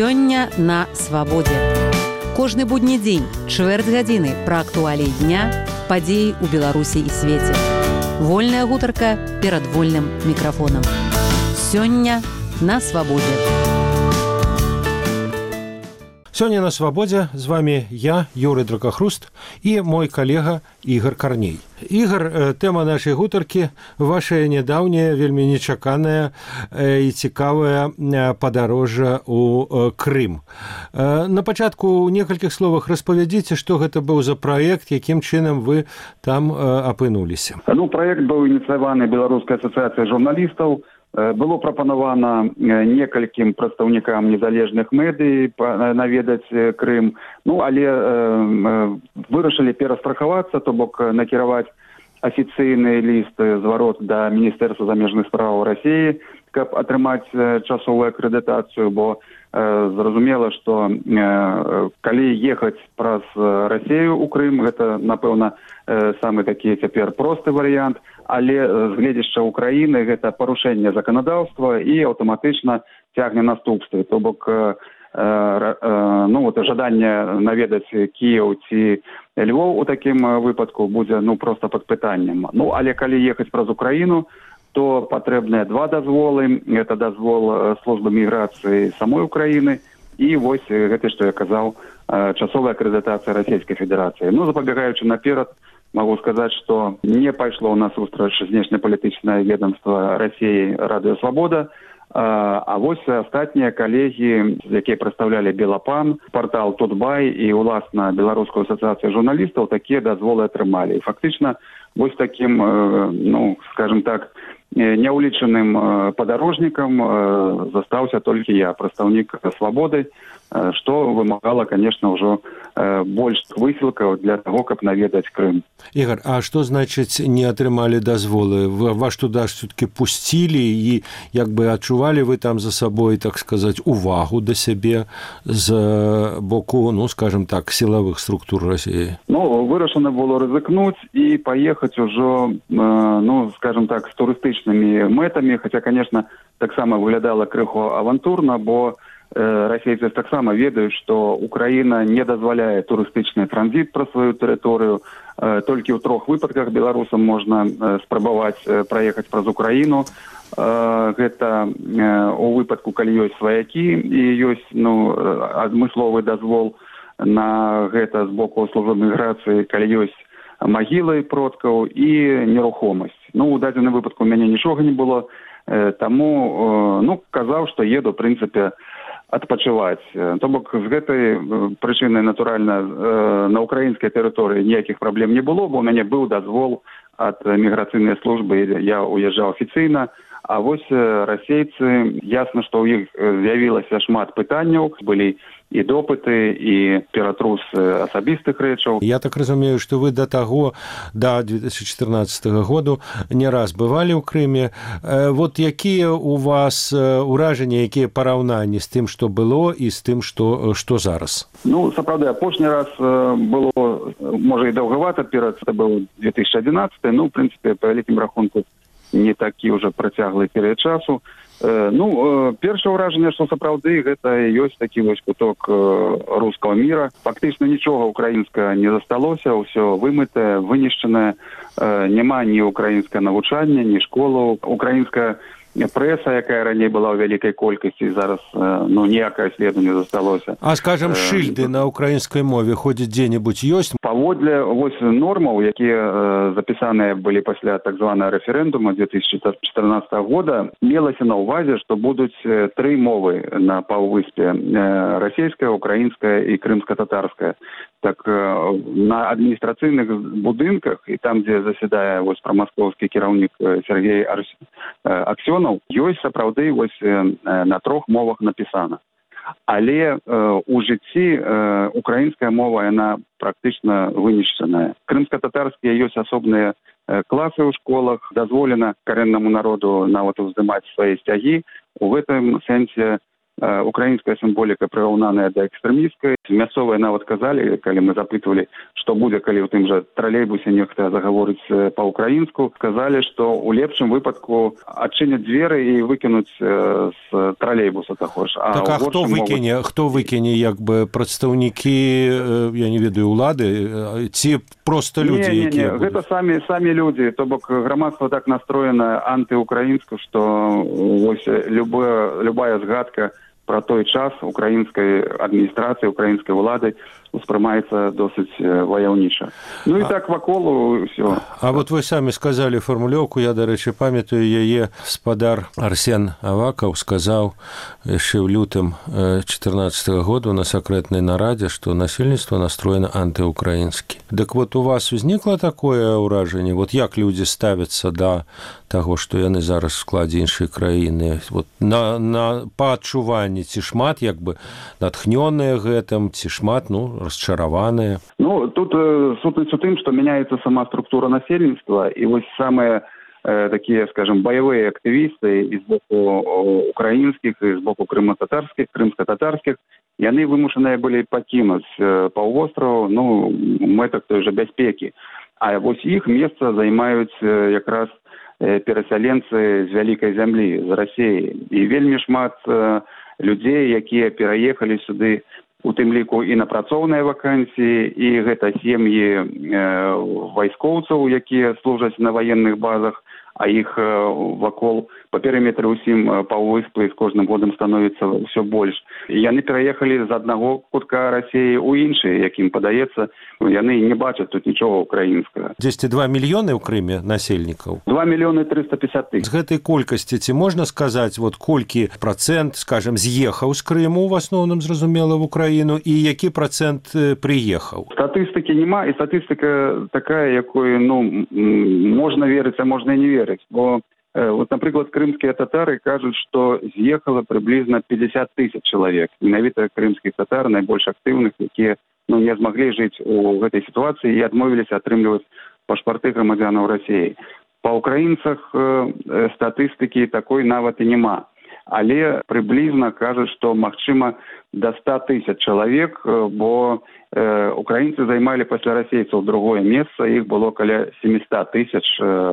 Сёння на свабодзе. Кожны будні дзень, чвэрць гадзіны пра актуаліі дня, падзеі ў Беларусі і свеце. Вольная гутарка перад вольным мікрафонам. Сёння на свабодзе. Сёння на свабодзе з вами я, Юрый Дракахруст, і мой калега Ігор Карней. Ігор, тэма нашай гутаркі – ваша нядаўняя, вельмі нечаканая і цікавая падарожжа ў Крым. На пачатку ў некалькіх словах распавядзіце, што гэта быў за праект, якім чынам вы там апынуліся. Праект быў ініцыяваны Беларускай асацыяцыяй журналістаў. Было прапанавана некалькім прадстаўнікам незалежных медый наведаць Крым, але вырашылі перастрахавацца, то бок накіраваць афіцыйны ліст зварот да Міністэрства замежных спраў Расіі, каб атрымаць часовую акрэдытацыю, бо зразумела, што калі ехаць праз Расію ў Крым, гэта, напэўна, самы такі цяпер просты варыянт, але з гледзяшча Украіны гэта парушэнне заканадаўства і аўтаматычна цягне наступствы. То бок жаданне наведаць Кіеў ці Львоў у такім выпадку будзе проста пад пытаннем. Але калі ехаць праз Украіну, то патрэбныя два дазволы. Гэта дазвол службы міграцыі самой Украіны і вось гэта, што я казаў, часовая акрэдытацыя Расійскай Федэрацыі. Запабегаючы наперад, могу сказаць, што не пайшло ў нас сустрач знешнепалітычнае ведомства Расіі Радыё Свабода, а вось астатнія калегі, якія прадстаўлялі Белапан, партал Тутбай і, уласна, Беларускую асацыяцыю журналістаў, такія дазволы атрымалі. І фактычна вось такім, скажем так, няўлічаным падарожнікам застаўся толькі я, прадстаўнік Свабоды, што вымагала, конечно, ўжо больш высілкаў для таго, каб наведаць Крым. Ігор, а што значыць не атрымалі дазволы? Вас туды все-таки пусцілі і як бы адчувалі вы там за сабой, так сказаць, увагу да сябе з боку, скажем так, сілавых структур Расіі? Вырашана было рызыкнуць і паехаць ужо, скажем так, з турыстычнымі мэтамі, хаця, конечно, таксама выглядала крыху авантурна, бо расейцы таксама ведаюць, што Украіна не дазваляе турыстычны транзіт праз сваю тэрыторыю. Толькі ў 3 выпадках беларусам можна спрабаваць праехаць праз Украіну. Гэта у выпадку, калі ёсць сваякі і ёсць адмысловы дазвол на гэта з боку службы міграцыі, калі ёсць магілы продкаў і нерухомасць. У дадзеным выпадку у мяне нічога не было, таму казаў, што еду, в прынцыпе, адпачываць. То бок з гэтай прычыны, натуральна, на украінскай тэрыторыі ніякіх праблем не было, бо ў мяне быў дазвол ад міграцыйнай службы, я уязджаў афіцыйна, а вось расейцы, ясна, што ў іх з'явілася шмат пытанняў, былі і допыты, і ператрус асабістых рэчаў. Я так разумею, што вы да 2014 году не раз бывалі ў Крыме. Вот якія у вас ўражанні, якія параўнанні з тым, што было, і з тым, што зараз? Сапраўды, апошні раз было, можа, і даўгавата, це быў 2011, в прынцыпе, па вялікім рахунку, не такі ўжо працяглы перыяд часу. Першае ўражанне, што сапраўды гэта ёсць такі вось куток рускага міра. Фактычна нічога украінскага не засталося, ўсё вымытае, вынішчанае. Няма ні украінскае навучання, ні школаў. Украінская прэса, якая раней была ў вялікай колькасці, зараз ніякае следу не засталося. А, скажем, шыльды на украінскай мове ходзяць дзе-небудзь ёсць? Паводле нормаў, якія запісаныя былі пасля так званага рэферэндума 2014 года, мелася на ўвазе, што будуць 3 мовы на паўвыспе: расійская, украінская і крымска-татарская. Так на адміністрацыйных будынках і там, дзе засядае прамаскоўскі кіраўнік Сергей Аксёнаў, ёсць сапраўды на 3 мовах напісана. Але у жыцці украінская мова, яна практычна вынішчаная. Крымска-татарскія ёсць асобныя класы ў школах, дазволена карэннаму народу нават уздымаць свае сцягі. У гэтым сэнсе украінская сімволіка прыраўнаная да экстрэмісцкай. Мясцовыя нават казалі, калі мы запытвалі, што будзе, калі ў тым жа тралейбусе нехта загаворыць па-ўкраінску, сказалі, што ў лепшым выпадку адчыняць дзверы і выкінуць з тралейбуса таго ж. Так, а хто выкіне? Хто выкіне, як бы прадстаўнікі, я не ведаю, улады, ці проста людзі, якія будуць? Гэта самі людзі, то бок грамадства так настроена антыукраінска, што вось любая згадка про той час украінскай адміністрацыі, украінскай улады успрымаецца досыць ваяўніча. Ну і так вакол усё. А вот вы самі сказалі фармулёўку, я, дарэчы, памятаю яе, спадар Арсен Авакаў сказаў яшчэ ў лютым 2014 года на сакрэтнай нарадзе, што насельніцтва настроена антыукраінскі. Дык вот у вас узнікла такое ўражанне? Вот як людзі ставяцца да таго, што яны зараз в складзе іншай краіны? Вот па адчуванні, ці шмат як бы натхнёныя гэтым, ці шмат, расчараваныя? Тут сутнасць у тым, што мяняецца сама структура насельніцтва, і вось самыя такія, скажем, баявыя актывісты і з боку украінскіх, і з боку крымска-татарскіх, яны вымушаныя былі пакінуць паўвостраў, мэтах той жа бяспекі. А вось іх месца займаюць якраз перасяленцы з вялікай зямлі, з Расіі. І вельмі шмат людзей, якія пераехалі сюды, у тым ліку і на працоўныя вакансіі, і гэта сем'і вайскоўцаў, якія служаць на ваенных базах, а іх вакол па перыметры ўсім паўвыспы з кожным годам становіцца ўсё больш. Яны пераехалі з аднаго кутка Расіі ў іншы, якім падаецца, яны не бачаць тут нічога украінскага. 2 мільёны ў Крыме насельнікаў? 2 мільёны 350 тысяч. З гэтай колькасці ці можна сказаць, вот колькі працэнт, скажем, з'ехаў з Крыму, в асноўным, зразумела, в Украіну, і які працэнт прыехаў? Статыстыкі няма, і статыстыка такая, якой, можна верыць, а можна і не верыць. Бо, вот, напрыклад, крымскія татары кажуць, што з'ехала прыблізна 50 тысяч чалавек. Менавіта крымскіх татар, найбольш актыўных, якія не змаглі жыць у гэтай сітуацыі і адмовіліся атрымліваць пашпарты грамадзянаў Расіі. Па ўкраінцах статыстыкі такой нават і няма. Але прыблізна кажуць, што магчыма да 100 тысяч чалавек, бо украінцы займалі пасля расейцаў другое месца, іх было каля 700 тысяч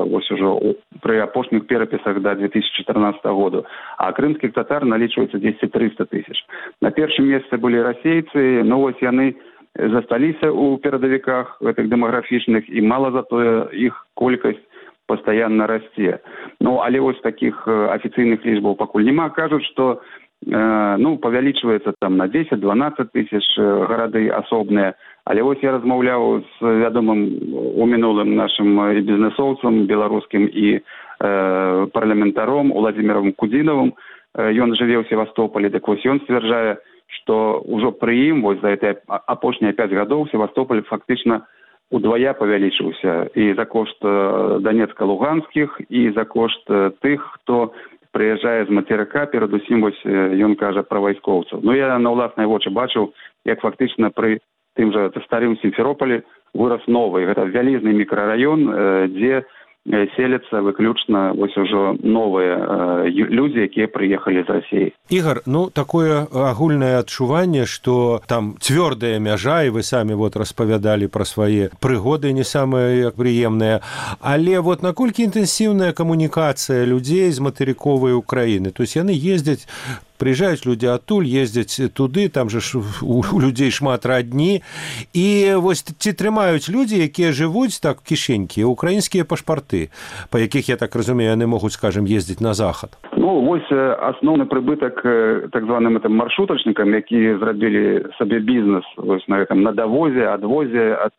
вось ужо пры апошніх перапісах да 2014 году, а крымскіх татар налічваецца 200-300 тысяч. На першым месцы былі расейцы, вось яны засталіся ў перадавіках гэтых дэмаграфічных, і мала затое іх колькасць пастаянна расце. Але вось такіх афіцыйных лічбаў пакуль няма. Кажуць, што павялічваецца там на 10-12 тысяч гарады асобныя. Але вось я размаўляў з вядомым у мінулым нашым бізнесоўцам беларускім і парламентаром Уладзімірам Кудзінавым. Ён жыве ў Севастополі, так вось ён сцвярджае, што ўжо пры ім вось за гэтыя апошнія 5 гадоў Севастополь фактычна удвая павялічыўся і за кошт Донецка-Луганскіх, і за кошт тых, хто прыязджае з мацерыка, перадусім вось ён кажа пра вайскоўцаў. Я на ўласныя вочы бачыў, як фактычна пры тым жа старым Сімферополі вырас новы. Гэта вялізны мікрараён, дзе селяцца выключна вось ужо новыя людзі, якія прыехалі з Расіі. Ігор, такое агульнае адчуванне, што там цвёрдая мяжа, і вы самі распавядалі пра свае прыгоды не самыя прыемныя, але наколькі інтэнсіўная камунікацыя людзей з матэрыковай Украіны? То есть яны ездзяць, прыязджаюць людзі адтуль, ездзяць туды, там же у людзей шмат радні, і вось ці трымаюць людзі, якія жывуць так кішенькі, украінскія пашпарты, па якіх, я так разумею, яны могуць, скажем, ездзіць на захад? Вось асноўны прыбытак так званым маршрутачнікам, які зрабілі сабе бізнес вось на гэтым надавозе, адвозе ад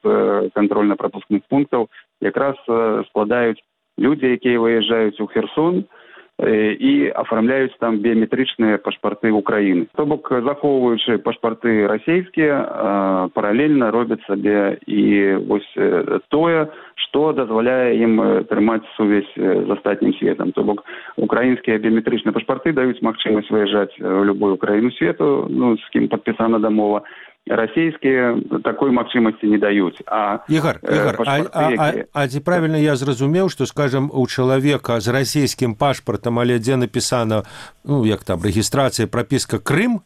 кантрольна-прапускных пунктаў, якраз складаюць людзі, якія выязджаюць у Херсон і афармляюць там біяметрычныя пашпарты Украіны. То бок, захоўваючы пашпарты расейскія, паралельна робяць сабе і вось тое, што дазваляе ім трымаць сувязь з астатнім светам. То бок, украінскія біяметрычныя пашпарты даюць магчымасць выязджаць у любую краіну свету, з кім падпісана дамова, расійскія такой магчымасці не даюць. Ігор, ці правільна я зразумеў, што, скажем, у чалавека з расійскім пашпартам, але дзе напісана, як там, рэгістрацыя, прапіска Крым,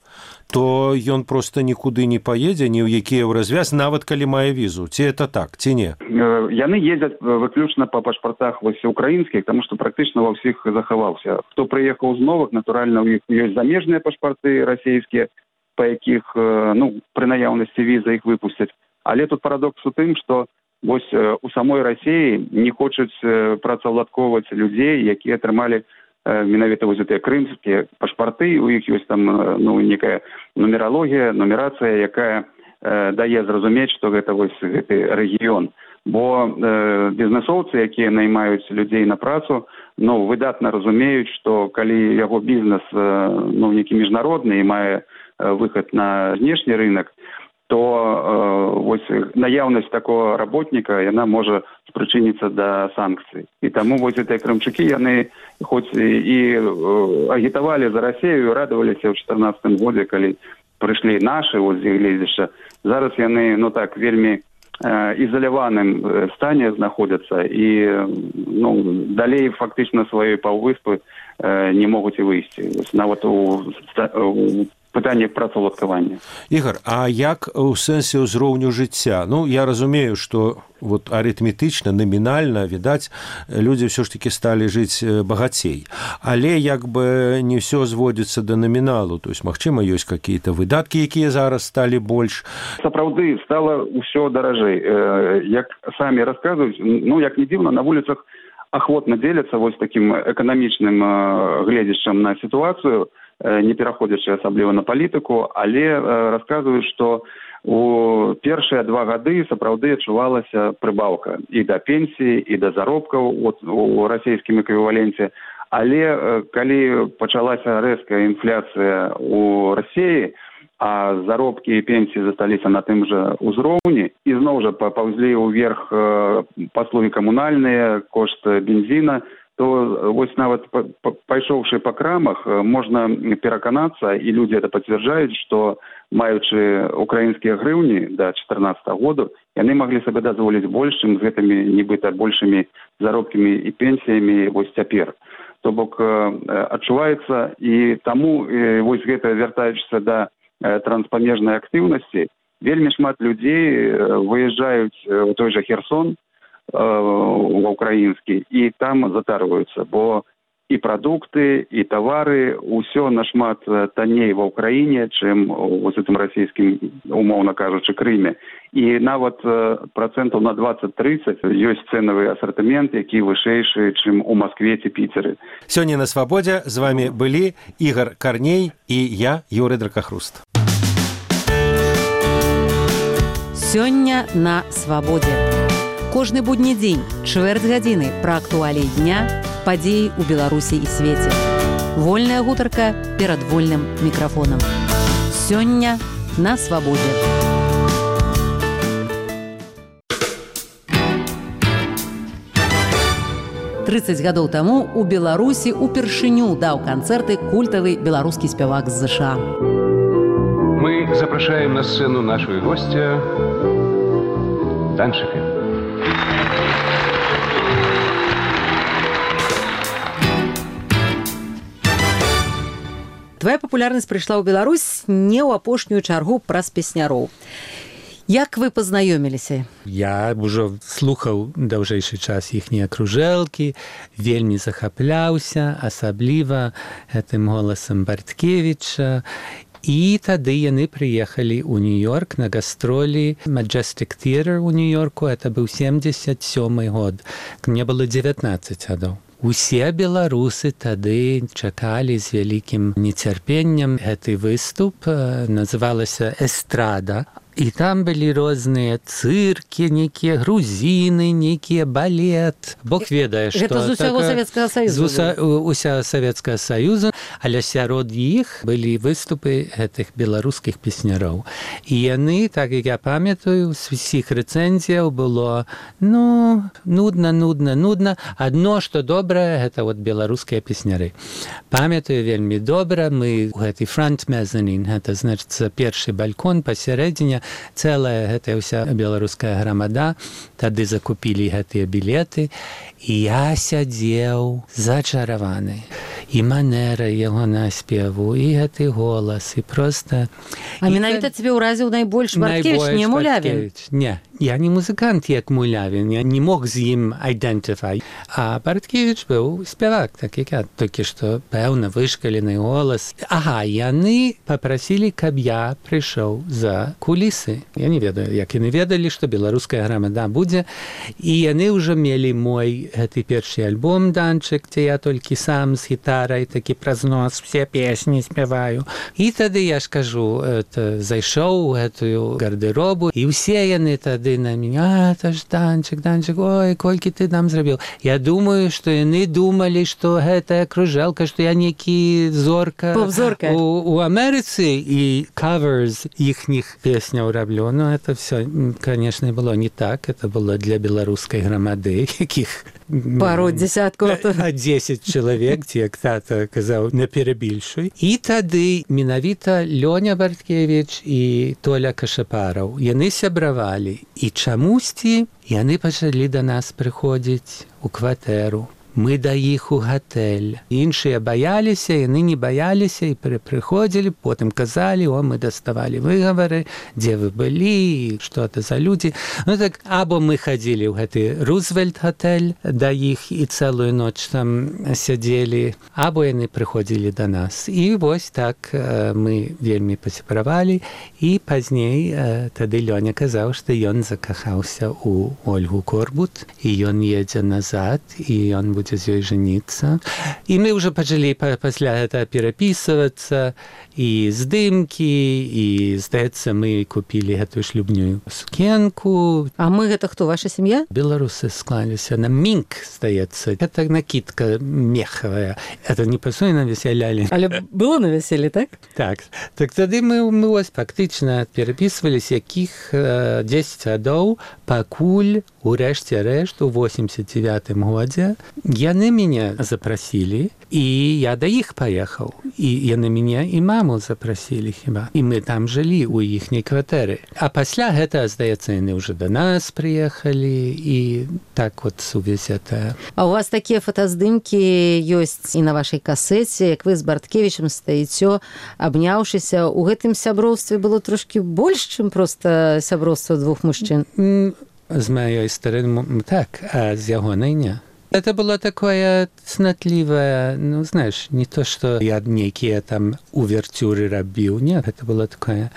то ён проста нікуды не паедзе, ні ў які развяз, нават калі мае візу. Ці это так, ці не? Яны ездзяць выключна па пашпартах украінскіх, таму што практычна ва ўсіх захаваўся. Хто прыехаў з новых, натуральна, у іх ёсць замежныя пашпарты расійскія, па якіх, пры наяўнасці віза іх выпусцяць. Але тут парадокс у тым, што вось у самой Расіі не хочуць працаўладковаць людзей, якія атрымалі менавіта вось гэтыя крымскія пашпарты, у іх ёсць там некая нумералогія, нумерацыя, якая дае зразумець, што гэта вось гэты рэгіён. Бо бізнесоўцы, якія наймаюць людзей на працу, выдатна разумеюць, што калі яго бізнес некі міжнародны і мае выхад на знешні рынок, то вось наяўнасць такого работніка, яна можа спрычыніцца да санкцый. І таму вось гэтыя крымчукі, яны хоць і агітавалі за Расію, радаваліся ў 2014 годзе, калі прыйшлі нашы з іх гледзішча. Зараз яны, вельмі ізаляваным стане знаходзяцца і далей фактычна сваёй паўвыспы не могуць і выйсці. Нават у пытанне працаўладкавання. Ігор, а як у сэнсе ўзроўню жыцця? Я разумею, што арытметычна, намінальна, відаць, людзі ўсё ж такі сталі жыць багацей. Але не ўсё зводзіцца да наміналу. То есть, магчыма, ёсць какія-то выдаткі, якія зараз сталі больш. Сапраўды, стала ўсё даражэй. Як самі расказваюць, як не дзіўна, на вуліцах ахвотна дзеляцца вось такім эканамічным гледзішчам на сітуацыю, не пераходзячы асабліва на палітыку, але расказваюць, што у першыя 2 гады сапраўды адчувалася прыбаўка і да пенсіі, і да заробкаў у расійскім эквіваленце. Але калі пачалася рэзкая інфляцыя у Расіі, а заробкі і пенсіі засталіся на тым жа ўзроўні, і зноў жа паўзлі ўверх паслугі камунальныя, кошт бензіна, то вось нават пайшоўшы па крамах, можна пераканацца, і людзі это пацвярджаюць, што маючы украінскія грыўні да 2014 году, яны маглі сабе дазволіць больш, чым з гэтымі нібыта большымі заробкамі і пенсіямі вось цяпер. То бок адчуваецца, і таму вось гэта, вяртаючыся да транспамежнай актыўнасці, вельмі шмат людзей выязджаюць у той жа Херсон, украінскі, і там затарваюцца, бо і прадукты, і тавары, усё нашмат танней ва Ўкраіне, чым у гэтым расійскім, умоўна кажучы, Крыме. І нават процентаў на 20-30 ёсць цэнавы асартымент, які вышэйшы, чым у Маскве ці Піцеры. Сёння на Свабодзе з вами былі Ігор Карней і я, Юрый Дракахруст. Сёння на Свабодзе. Кожны будні дзень, чвэрць гадзіны пра актуаліі дня, падзеі ў Беларусі і свеце. Вольная гутарка перад вольным мікрафонам. Сёння на Свабодзе. «30 гадоў таму у Беларусі упершыню даў канцэрты культавы беларускі спявак з ЗША. Мы запрашаем на сцену нашего гостя Данчика. Твоя папулярнасць прыйшла ў Беларусь не ў апошнюю чаргу праз песняроў. Як вы пазнаёміліся? Я ўжо слухаў даўжэйшы час іхнія кружэлкі, вельмі захапляўся, асабліва гэтым голасам Барткевіча. І тады яны прыехалі ў Нью-Йорк на гастролі Majestic Theatre ў Нью-Йорку. Это быў 77-й год. Мне было 19 гадоў. Усе беларусы тады чакалі з вялікім нецярпеннем гэты выступ. Называлася «Эстрада». І там былі розныя цыркі, нейкія грузіны, нейкія балет. Бог ведае, што... Гэта з усяго Савецкага Саюзу. З усяго Савецкага Саюзу, але сярод іх былі выступы гэтых беларускіх песняроў. І яны, так як я памятаю, з усіх рэцэнзіяў было, нудна. Адно, што добрае, гэта вот беларускія песняры. Памятаю вельмі добра, мы у гэты фронт мезанін, гэта значыцца першы балькон пасярэдзіне, цэлая гэтая ўся беларуская грамада, тады закупілі гэтыя білеты, і я сядзеў зачараваны. І манера яго наспеву, і гэты голас, і проста... А менавіта цябе ўразіў найбольш Барткевіч, не Мулявін? Не, я не музыкант, як Мулявін, я не мог з ім айдэнтыфай. А Барткевіч быў спявак, так як я, толькі што пэўна вышкалены голас. Ага, яны папрасілі, каб я прыйшоў за кулісы. Я не ведаю, як яны ведалі, што беларуская грамада будзе. І яны ўжо мелі мой гэты першы альбом «Данчык», дзе я толькі сам з гітарай, такі праз нос все песні спяваю. І тады, я ж кажу, зайшоў у гэтую гардеробу, і ўсе яны тады на мяне, это ж Данчык, ой, колькі ты нам зрабіў. Я думаю, што яны думалі, што гэтая кружэлка, што я нейкі зорка у Амерыцы і каверс іхніх песняў раблю. Ну, это все, конечно, было не так. Это было для беларускай грамады, якіх пару десяткаў. 10 чалавек, як тата казаў, не перабільшуй. І тады менавіта Лёня Барткевіч і Толя Кашапараў, яны сябравалі. І чамусьці яны пачалі да нас прыходзіць у кватэру. Мы да іх у гатэль. Іншыя баяліся, яны не баяліся і прыходзілі, потым казалі, мы даставалі выгавары, дзе вы былі, што это за людзі. Ну так, або мы хадзілі ў гэты Рузвельт-гатэль да іх і цэлую ноч там сядзелі, або яны прыходзілі да нас. І вось так мы вельмі пасябравалі, і пазней тады Лёня казаў, што ён закахаўся ў Ольгу Корбут, і ён едзе назад, і ён будзе з ёй жаніцца. І мы ўжо пачалі пасля гэта перапісвацца, і здымкі, і, здаецца, мы купілі гэтую шлюбную сукенку. А мы гэта хто, ваша сям'я? Беларусы склаліся на мінк, здаецца. Гэта накидка мехавая. Это не пасуе на весялялі. Але было на вяселлі, так? Так. Так тады мы ось фактычна перапісваліся, якіх 10 гадоў, пакуль у рэшце рэшт у 89-м годзе яны мяне запрасілі, і я да іх паехаў. І яны мяне і маму запрасілі хіба. І мы там жылі ў іхняй кватэры. А пасля гэта, здаецца, яны ўжо да нас прыехалі, і так вот сувязь это. А у вас такія фотаздымкі ёсць і на вашай касеце, як вы з Барткевічам стаіцё, абняўшыся. У гэтым сяброўстве было трошкі больш, чым проста сяброўства двух мужчын? З маёй стороны, так, а з ягонай не. Это было такое цнотливое, ну, знаешь, не то, что я некие там увертюры рабіў, нет, это было такое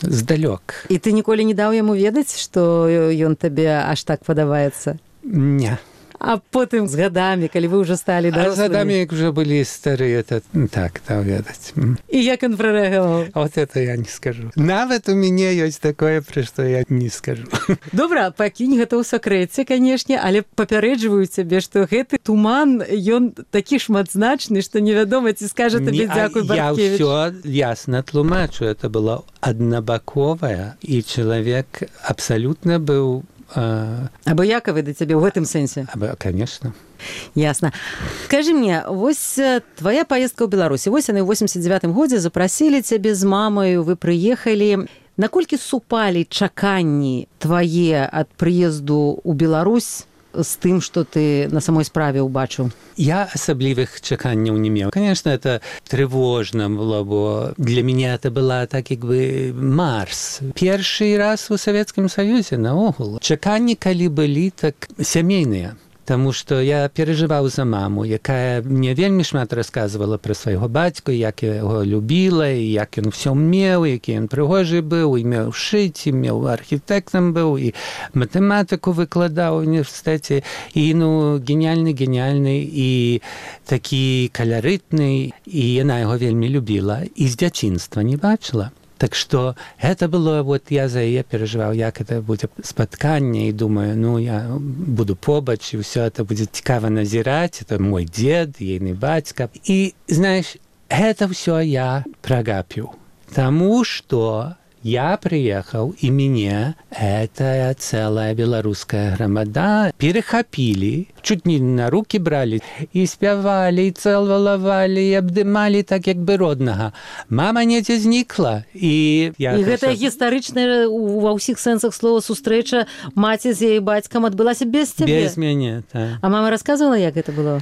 здалёк. І ты ніколі не даў яму ведаць, што ён табе аж так падабаецца? Не. А потым з гадамі, калі вы ўжо сталі дарослымі? А з гадамі, як уже былі старыя, то так, даў ведаць. І як ён прарэагаваў? Вот это я не скажу. Нават у мяне ёсць такое, пра што я не скажу. Добра, пакінь гэта ў сакрэце, канешне, але папярэджваю цябе, што гэты туман, ён такі шматзначны, што невядома, ці скажа табе дзякуй, Барткевіч. Я ўсё ясна тлумачу. Это было аднабаковае, і чалавек абсалютна быў абыякавы да цябе ў гэтым сэнсе? Конечно. Ясна. Скажи мне, вось твоя поездка ў Беларусі, вось яны ў 89-м годзе запрасілі цябе з мамаю, вы прыехалі. Наколькі супалі чаканні твае ад прыезду ў Беларусь з тым, што ты на самой справе ўбачыў? Я асаблівых чаканняў не меў. Конечно, это тревожно было, бо для меня это была так як бы Марс. Першы раз у Савецкім Саюзе наогул. Чаканні, калі былі, так сямейныя. Таму што я перажываў за маму, якая мне вельмі шмат расказвала пра свайго бацьку, як яго любіла, і як ён усё меў, які ён прыгожы быў, і меў шыць, і меў архітэктам быў, і матэматыку выкладаў у універсітэце, і геніальны, і такі каларытны, і яна яго вельмі любіла, і з дзяцінства не бачыла. Так што гэта было, вот я за яе перажываў, як это будзе спатканне, і думаю, ну, я буду побач, і ўсё это будзе цікава назіраць, это мой дзед, ейны бацька. І, знаеш, гэта ўсё я прагапіў. Таму што я приехал, и меня эта целая белорусская громада перехопили, чуть не на руки брали, и спевали, и целовали, и обдымали так, як бы родного. Мама недзе знікла. І гэта гістарычная ва ўсіх сэнсах слова сустрэча маці з яе бацькам адбылася без цябе? Без мяне, так. А мама рассказывала, як гэта было?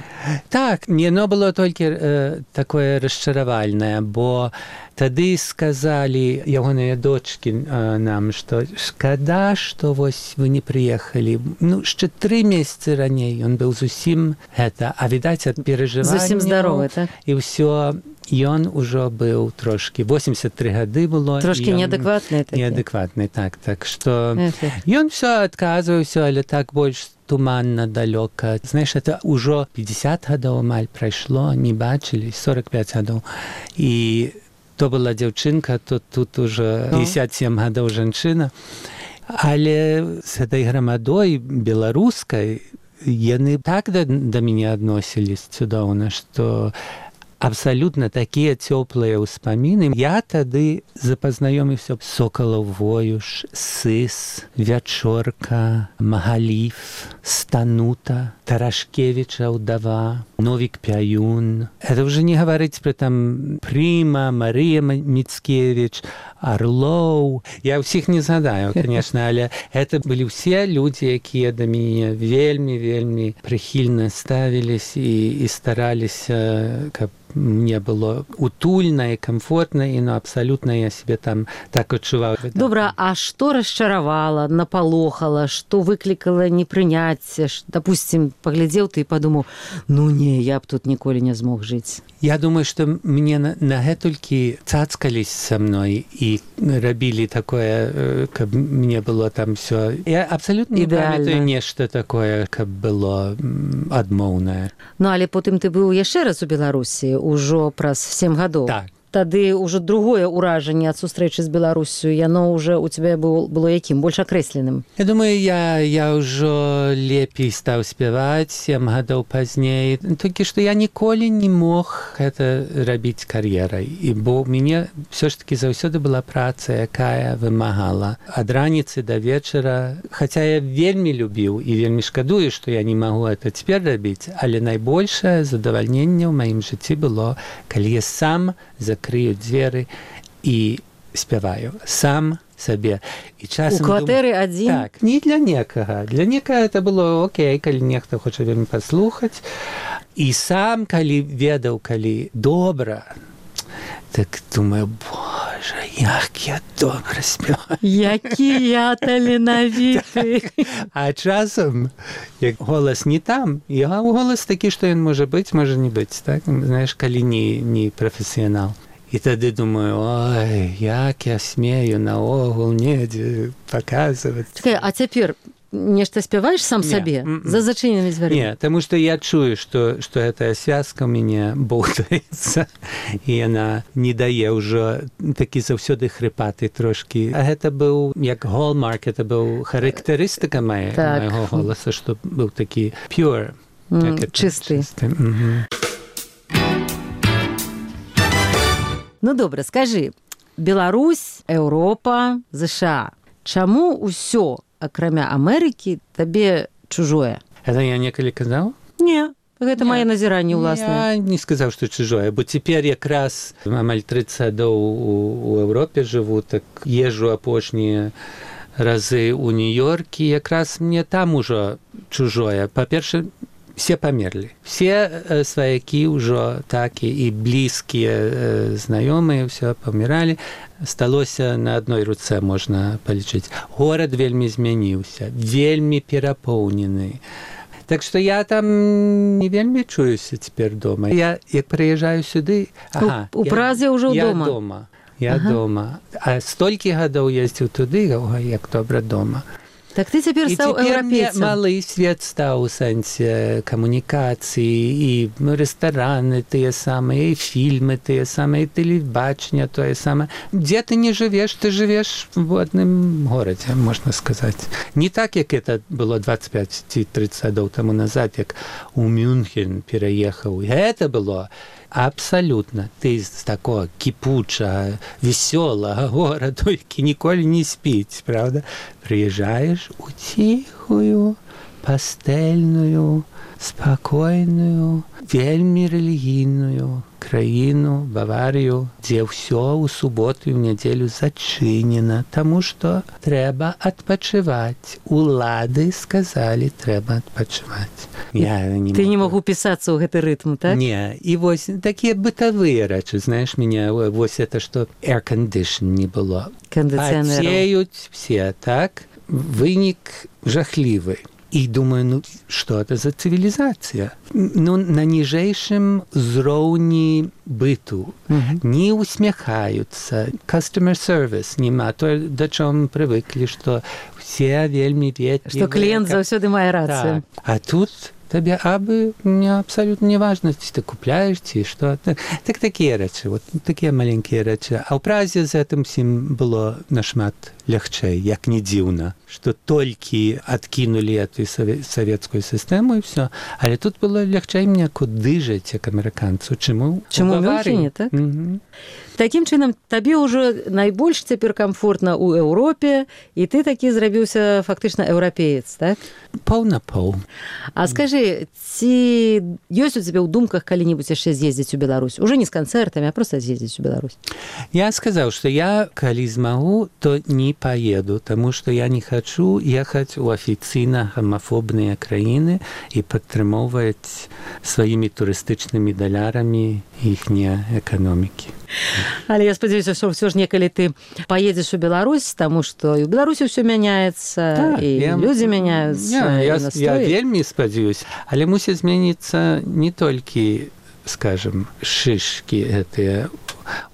Так, яно было толькі такое расчаравальнае, бо тады сказалі ягоныя дочкі нам, што шкада, што вось вы не прыехалі. Ну, яшчэ 3 месяцы раней ён быў зусім гэта, а відаць ад перажывання. Зусім здаровы, так? І ўсё, ён ужо быў трошкі, 83 гады было. Трошкі неадэкватны такі. Неадэкватны, так. Так што ён всё адказваўся, але так больш туманна, далёка. Знаеш, это ўжо 50 гадоў амаль прайшло, не бачылі, 45 гадоў. І то была дзяўчынка, то тут уже 57 гадоў жанчына. Але з гэтай грамадой беларускай яны так да мяне адносілись цудоўна, што абсалютна такія цёплыя ўспаміны. Я тады запазнаёміўся Сокалаў Воюш, Сыс, Вячорка, Магаліф, Станута, Тарашкевіча ўдава, Новік Пяюн. Это уже не гаварыць пра там Прыма, Марыя Міцкевіч, Орлоў. Я ўсіх не згадаю, конечно, але это былі ўсе людзі, якія да мяне вельмі прыхільна ставілись і стараліся, каб мне было утульна і комфортна, і абсолютно я себе там так адчуваў. Добра, а што расчаравала, напалохала, што выклікала непрыняцце? Допустим, паглядзеў ты і падумаў, ну не, я б тут ніколі не змог жыць. Я думаю, што мне на гэтулькі цацкались са мной і рабілі такое, каб мне было там всё. Я абсолютно не памятаю нешта такое, каб было адмоўнае. Ну, але потым ты быў яшчэ раз у Беларусі, ужо праз 7 гадоў. Так. Тады ўжо другое ўражанне ад сустрэчы з Беларуссю, яно ўжо у цябе было якім? Больш акрэсленым? Я думаю, я ўжо лепей стаў спяваць 7 гадоў пазней. Толькі што я ніколі не мог гэта рабіць кар'ерай. І бо ў мяне ўсё ж такі заўсёды была праца, якая вымагала ад раніцы да вечара. Хаця я вельмі любіў і вельмі шкадую, што я не магу гэта цяпер рабіць, але найбольшае задавальненне ў маім жыцці было, калі я сам закрыю дзверы і спяваю сам сабе. І часам у кватэры адзін? Так, не для некага. Для некага это было окей, калі нехта хоча вельмі паслухаць. І сам, калі ведаў, калі добра, так думаю, боже, як я добра спяваю. Які я таленавіты. А часам, як голас не там, голас такі, што ён можа быць, можа не быць, так? Знаеш, калі не прафесіянал. І тады думаю, ой, як я смею наогул недзе паказваць. Чакай, а цяпер нешта спяваеш сам сабе? За зачыненымі дзвярымі? Не, таму што я чую, што гэтая связка ў мяне боўтаецца, і яна не дае ўжо такі заўсёды хрыпаты трошкі. А гэта быў, як hallmark, это быў характарыстыка майго голаса, што быў такі pure. Чысты. Ну, добра, скажы, Беларусь, Еўропа, ЗША. Чаму ўсё, акрамя Амерыкі, табе чужое? Это я некалі казаў? Не, гэта мае назіранне ўласнае. Я не сказаў, што чужое, бо цяпер якраз амаль 30 гадоў у Еўропе жыву, так езжу апошнія разы ў Нью-Йоркі, якраз мне там ужо чужое. Па-перше, все памерлі. Все сваякі ўжо так і блізкія знаёмыя, все паміралі. Сталося на адной руцэ можна палічыць. Горад вельмі змяніўся, вельмі перапоўнены. Так што я там не вельмі чуюся цяпер дома. Я, як прыязджаю сюды... У Празе ўжо дома? Я дома. А столькі гадоў ездзіў туды, як добра дома. Так ты цяпер стаў еўрапейцам. Малы свет стаў у сэнсе камунікацыі, і рэстараны тыя самыя, і фільмы тыя самыя, і тэлебачанне тое самае. Дзе ты не жывеш, ты жывеш в адным горадзе, можна сказаць. Не так, як это было 25 ці 30 гадоў таму назад, як у Мюнхен пераехаў. Гэта было абсалютна. Ты з такого кіпучага, весёлага гораду, які ніколі не спіць, правда? Прыязджаеш у ціхую, пастэльную, спакойную, вельмі рэлігійную краіну, Баварію, дзе ўсё ў суботу і ў нядзелю зачынена, таму што трэба адпачываць. Улады сказалі, трэба адпачываць. Ты не мог упісацца ў гэты рытм, так? Не, і вось такія бытавыя рэчы, знаеш, мяне, вось это, што air condition не было. Кондиционеров. Пацеюць все, так? Вынік жахлівы. І думаю, ну, што это за цывілізацыя? Ну, на ніжэйшым узроўні быту. Не усміхаюцца. Customer service нема. То, да чого мы прывыклі, што все вельмі ветлівыя. Што кліент заўсёды мае рацыю. Так. А тут табе абы мне абсалютна не важна, ці ты купляеш, ці што. Так такія рэчы, вот такія маленькія рэчы. А ў Празе з гэтым усім было нашмат лягчэй, як не дзіўна, што толькі адкінулі эту савецкую сістэму і ўсё. Але тут было лягчэй мне куды жыць, як амерыканцу, чым у Мюнхене, так? Такім чынам, табе ўжо найбольш цяпер камфортна ў Еўропе, і ты такі зрабіўся фактычна еўрапеец, так? Пол на пол. А скажы, ці ёсць у цябе ў думках калі-небудзь яшчэ з'ездзіць у Беларусь? Уже не з канцэртамі, а проста з'ездзіць у Беларусь. Я сказаў, што я, калі змагу, то не поеду, таму што я не хачу ехаць у афіцыйна гомафобныя краіны і падтрымоўваць сваімі турыстычнымі далярамі іхнія эканомікі. Але я спадзяюся, што ўсё ж некалі ты поедзеш у Беларусь, таму што і ў Беларусі ўсё мяняецца, і людзі мяняюцца. Я вельмі спадзяюсь, але мусіць змяніцца не толькі, скажем, шышкі гэтыя,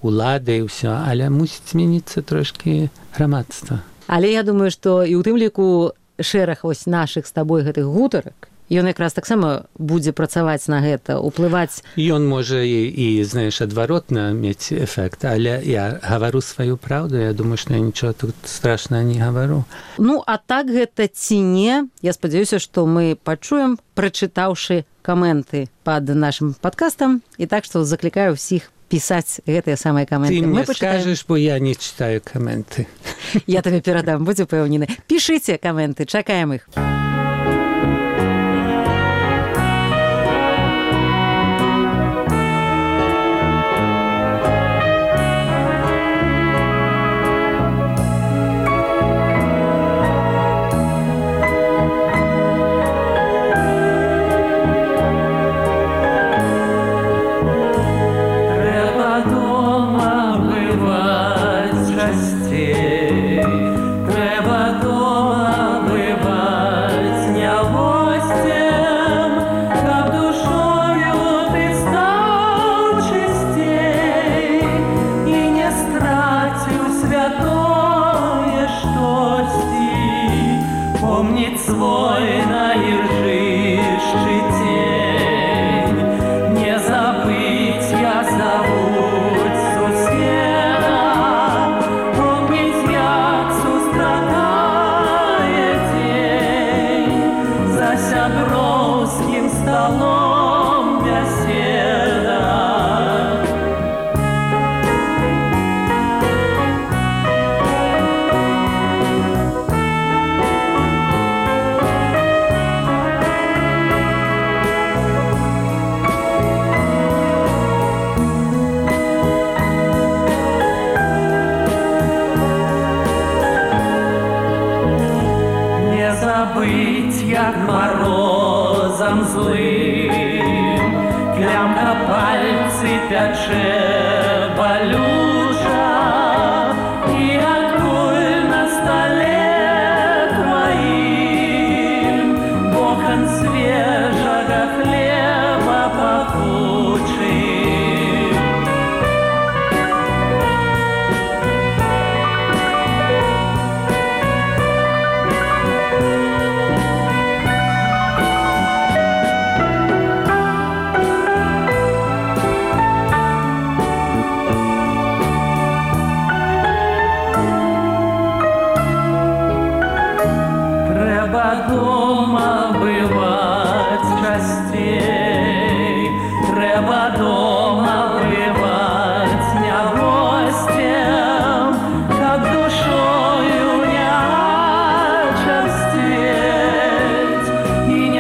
улады і ўсё, але мусіць змяніцца трошкі грамадства. Але я думаю, што і ў тым ліку шэраг вось нашых з табой гэтых гутарак, ён якраз таксама будзе працаваць на гэта, уплываць. Ён можа і знаеш, адваротна мець эфект, але я гавару сваю праўду, я думаю, што я нічого тут страшнага не гавару. Ну, а так гэта ці не, я спадзяюся, што мы пачуем, прачытаўшы каменты пад нашым падкастам, і так што заклікаю ўсіх пісаць гэтыя самыя каменты. Ты мне скажаш, бо я не читаю каменты. Я табе перадам, будь упэўнены. Пішыце каменты, чакаем іх.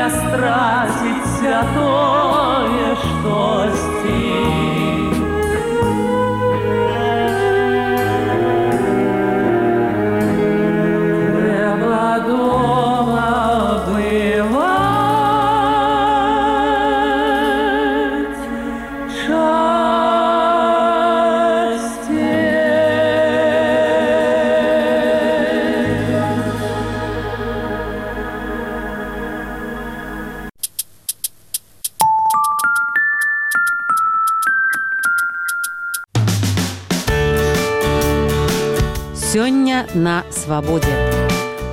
не страціць святое штосьці. Сёння на свабодзе.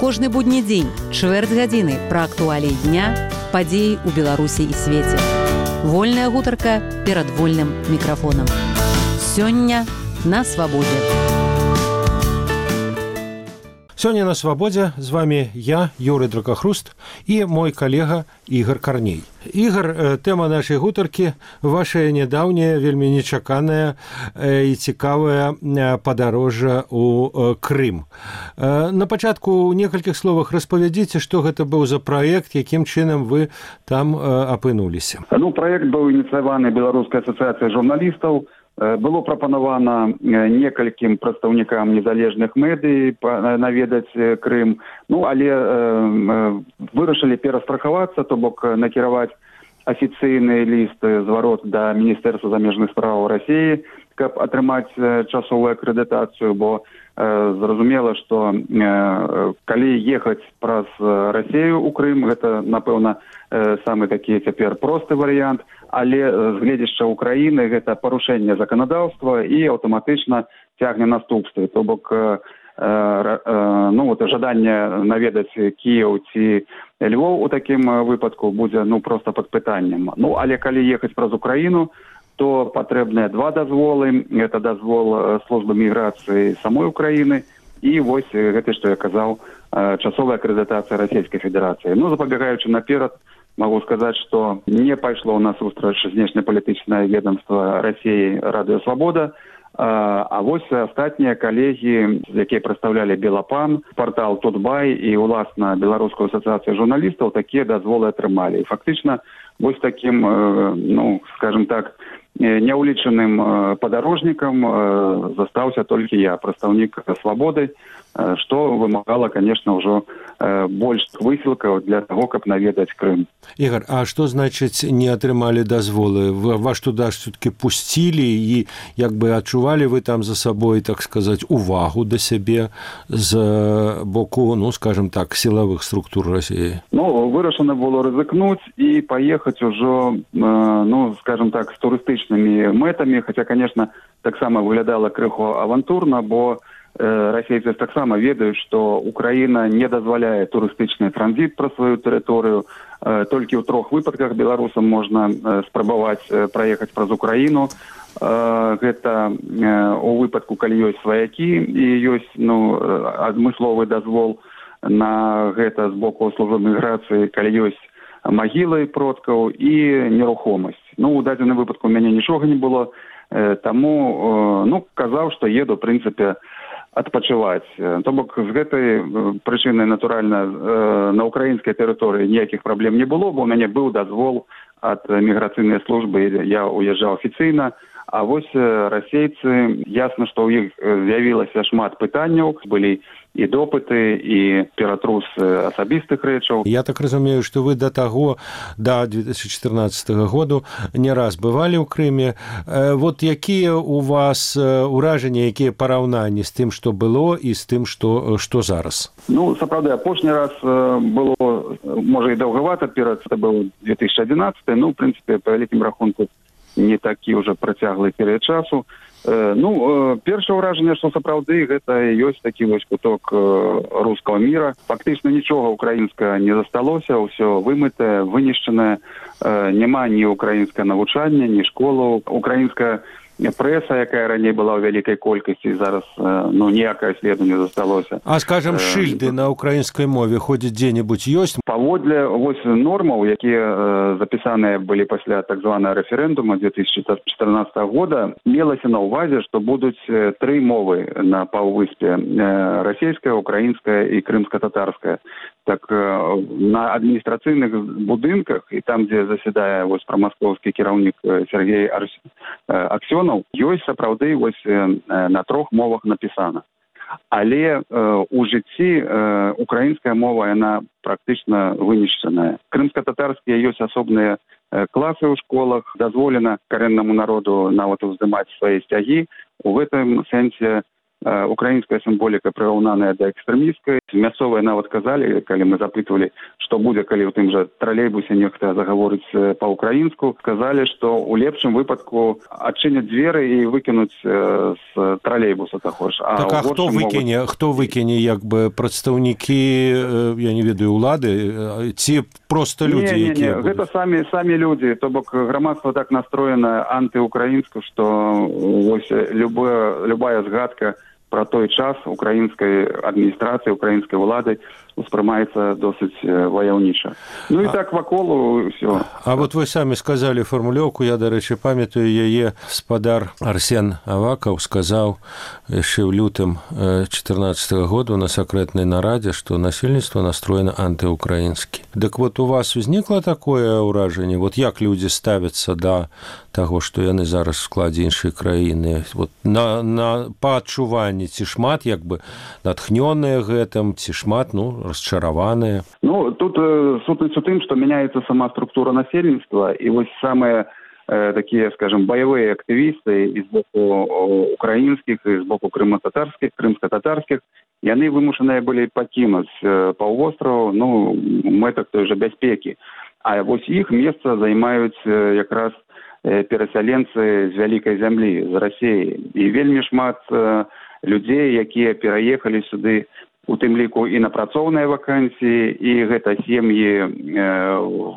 Кожны будні дзень, чвэрць гадзіны пра актуаліі дня, падзеі ў Беларусі і свеце. Вольная гутарка перад вольным мікрафонам. Сёння на свабодзе. Сёння на свабодзе з вами я, Юрый Дракахруст, і мой калега Ігар Карней. Ігар, тэма нашай гутаркі – ваша нядаўняя, вельмі нечаканая і цікавая падарожжа ў Крым. На пачатку ў некалькіх словах распавядзіце, што гэта быў за праект, якім чынам вы там апынуліся. Праект быў ініцыяваны Беларускай асацыяцыяй журналістаў. Было прапанавана некалькім прадстаўнікам незалежных медый наведаць Крым, але вырашылі перастрахавацца, то бок накіраваць афіцыйны ліст зварот да Міністэрства замежных спраў Расіі, каб атрымаць часовую акрэдытацыю, бо зразумела, што калі ехаць праз Расію ў Крым, гэта, напэўна, самы такі цяпер просты варыянт, але з гледзяшча Украіны гэта парушэнне заканадаўства і аўтаматычна цягне наступствы. То бок жаданне наведаць Кіеў ці Львоў у такім выпадку будзе проста пад пытаннем. Але калі ехаць праз Украіну, то патрэбныя два дазволы. Гэта дазвол службы міграцыі самой Украіны і вось гэта, што я казаў, часовая акрэдытацыя Расійскай Федэрацыі. Запабегаючы наперад, могу сказать, что не пайшло у нас сустрач знешнепалітычнае ведомство России «Радио Свобода», а вось астатнія калегі, якія прадстаўлялі Белапан, портал Тутбай і уласна Беларускую асацыяцыю журналістаў, такія дазволы атрымалі. І фактычна вось такім, скажем так, няўлічаным падарожнікам застаўся толькі я, прадстаўнік «Свободы», што вымагала, конечно, ўжо больш высілкаў для таго, каб наведаць Крым. Ігар, а што значыць не атрымалі дазволы? Вас туды все-таки пусцілі і як бы адчувалі вы там за сабой, так сказаць, увагу да сябе з боку, скажем так, сілавых структур Расіі? Вырашана было рызыкнуць і паехаць ужо, скажем так, з турыстычнымі мэтамі, хаця, конечно, таксама выглядала крыху авантурна, бо расейцы таксама ведаюць, што Украіна не дазваляе турыстычны транзіт праз сваю тэрыторыю. Толькі ў 3 выпадках беларусам можна спрабаваць праехаць праз Украіну. Гэта у выпадку, калі ёсць сваякі і ёсць адмысловы дазвол на гэта з боку службы міграцыі, калі ёсць магілы продкаў і нерухомасць. У дадзеным выпадку у мяне нічога не было, таму казаў, што еду, в прынцыпе, адпачываць. То бок з гэтай прычыны, натуральна, на украінскай тэрыторыі ніякіх праблем не было, бо у мяне быў дазвол ад міграцыйнай службы, я уязджаў афіцыйна, а вось расейцы, ясна, што ў іх з'явілася шмат пытанняў, былі і допыты, і ператрус асабістых рэчаў. Я так разумею, што вы да 2014 году не раз бывалі ў Крыме. Вот якія у вас ўражанні, якія параўнанні з тым, што было, і з тым, што зараз? Сапраўды, апошні раз было, можа, і даўгавата, перад це быў 2011, в прынцыпе, па вялікім рахунку, не такі ўжо працяглы перыяд часу. Першае ўражанне, што сапраўды гэта ёсць такі вось куток рускага міра. Фактычна нічога украінскага не засталося, ўсё вымытае, вынішчанае, няма ні украінскага навучання, ні школаў. Украінская прэса, якая раней была ў вялікай колькасці, зараз ніякае следу не засталося. А, скажем, шыльды на украінскай мове ходзяць дзе-небудзь ёсць? Паводле вось нормаў, якія запісаныя былі пасля так званага рэферэндума 2014 года, мелася на ўвазе, што будуць 3 мовы на паўвыспе: расійская, украінская і крымска-татарская. на адміністрацыйных будынках і там, дзе засядае вось прамаскоўскі кіраўнік Сергей Аксёнаў, ёсць сапраўды вось на 3 мовах напісана. Але у жыцці украінская мова, яна практычна вынішчаная. Крымска-татарскія ёсць асобныя класы ў школах, дазволена карэннаму народу нават уздымаць свае сцягі. У гэтым сэнсе украінская сімволіка прыраўнаная да экстрэмісцкай. Мясцовыя нават казалі, калі мы запытвалі, што будзе, калі ў тым жа тралейбусе нехта загаворыць па-украінску, сказалі, што ў лепшым выпадку адчыняць дзверы і выкінуць з тралейбуса таго ж. Так, а хто выкіне, як бы прадстаўнікі, я не ведаю, улады, ці проста людзі, якія будуць? Гэта самі людзі, то бок грамадства так настроена антыукраінска, што вось любая згадка про той час украінскай адміністрацыі, украінскай улады успрымаецца досыць ваяўніча. Ну і так вакол ўсё. А вот вы самі сказалі фармулёўку, я, дарэчы, памятаю яе, спадар Арсен Авакаў сказаў яшчэ ў лютым 2014 году на сакрэтнай нарадзе, што насельніцтва настроена антыукраінскі. Дык вот у вас узнікла такое ўражанне? Вот як людзі ставяцца да таго, што яны зараз в складзе іншай краіны? Вот па адчуванні, ці шмат як бы натхнёныя гэтым, ці шмат, расчараваныя? Тут сутнасць у тым, што мяняецца сама структура насельніцтва, і вось самыя такія, скажем, баявыя актывісты і з боку украінскіх, і з боку крымска-татарскіх, яны вымушаныя былі пакінуць паўвостраў, мэтах той жа бяспекі. А вось іх месца займаюць якраз перасяленцы з вялікай зямлі, з Расіі. І вельмі шмат людзей, якія пераехалі сюды, у тым ліку і на працоўныя вакансіі, і гэта сем'і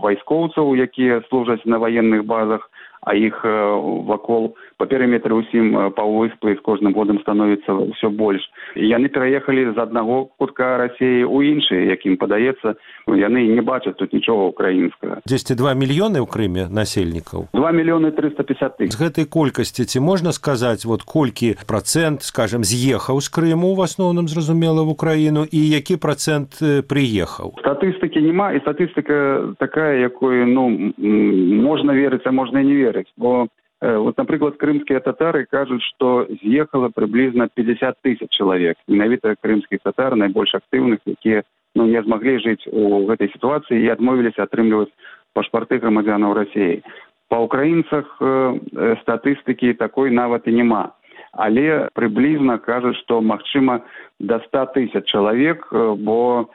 вайскоўцаў, якія служаць на ваенных базах, а іх вакол па перыметры ўсім паўвыспы з кожным годам становіцца ўсё больш. Яны пераехалі з аднаго кутка Расіі ў іншы, якім падаецца, яны не бачаць тут нічога украінскага. 2 мільёны ў Крыме насельнікаў? 2 мільёны 350 тысяч. З гэтай колькасці ці можна сказаць, вот колькі процент, скажем, з'ехаў з Крыму, в асноўным, зразумела, в Украіну, і які процент прыехаў? Статыстыкі няма, і статыстыка такая, якой, можна верыць, а можна і не верыць. Бо, вот, напрыклад, крымскія татары кажуць, што з'ехала прыблізна 50 тысяч чалавек. Менавіта крымскіх татар, найбольш актыўных, якія не змаглі жыць у гэтай сітуацыі і адмовіліся атрымліваць пашпарты грамадзянаў Расіі. Па украінцах статыстыкі такой нават і няма. Але прыблізна кажуць, што магчыма да 100 тысяч чалавек, бо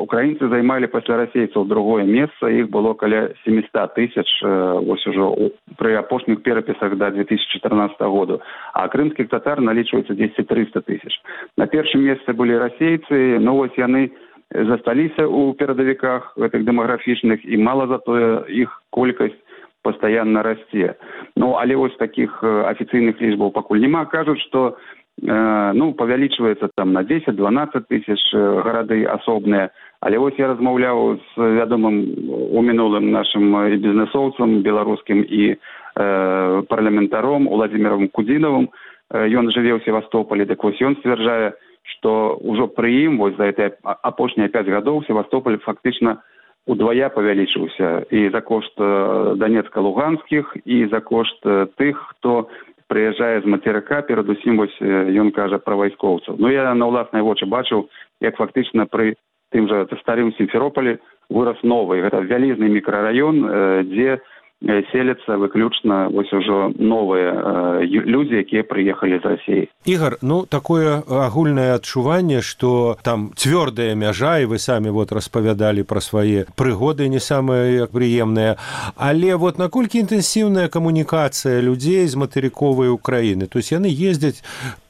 украінцы займалі пасля расейцаў другое месца, іх было каля 700 тысяч вось ужо пры апошніх перапісах да 2014 году, а крымскіх татар налічваецца 200-300 тысяч. На першым месцы былі расейцы, вось яны засталіся ў перадавіках гэтых дэмаграфічных, і мала затое іх колькасць пастаянна расце. Але вось такіх афіцыйных лічбаў пакуль няма. Кажуць, што павялічваецца там на 10-12 тысяч гарады асобныя. Але вось я размаўляў з вядомым у мінулым нашым і бізнесоўцам беларускім і парламентаром Уладзімірам Кудзінавым. Ён жыве ў Севастополі, так вось ён сцвярджае, што ўжо пры ім вось за гэтыя апошнія 5 гадоў Севастополь фактычна удвая павялічыўся і за кошт данецка-луганскіх, і за кошт тых, хто прыязджае з мацерыка, перадусім вось ён кажа пра вайскоўцаў. Я на ўласныя вочы бачыў, як фактычна пры тым жа старым Сімферополі вырас новы. Гэта вялізны мікрараён, дзе селяцца выключна вось ужо новыя людзі, якія прыехалі з Расіі. Ігор, такое агульнае адчуванне, што там цвёрдая мяжа, і вы самі распавядалі пра свае прыгоды не самыя прыемныя, але наколькі інтэнсіўная камунікацыя людзей з матэрыковай Украіны? То есть яны ездзяць,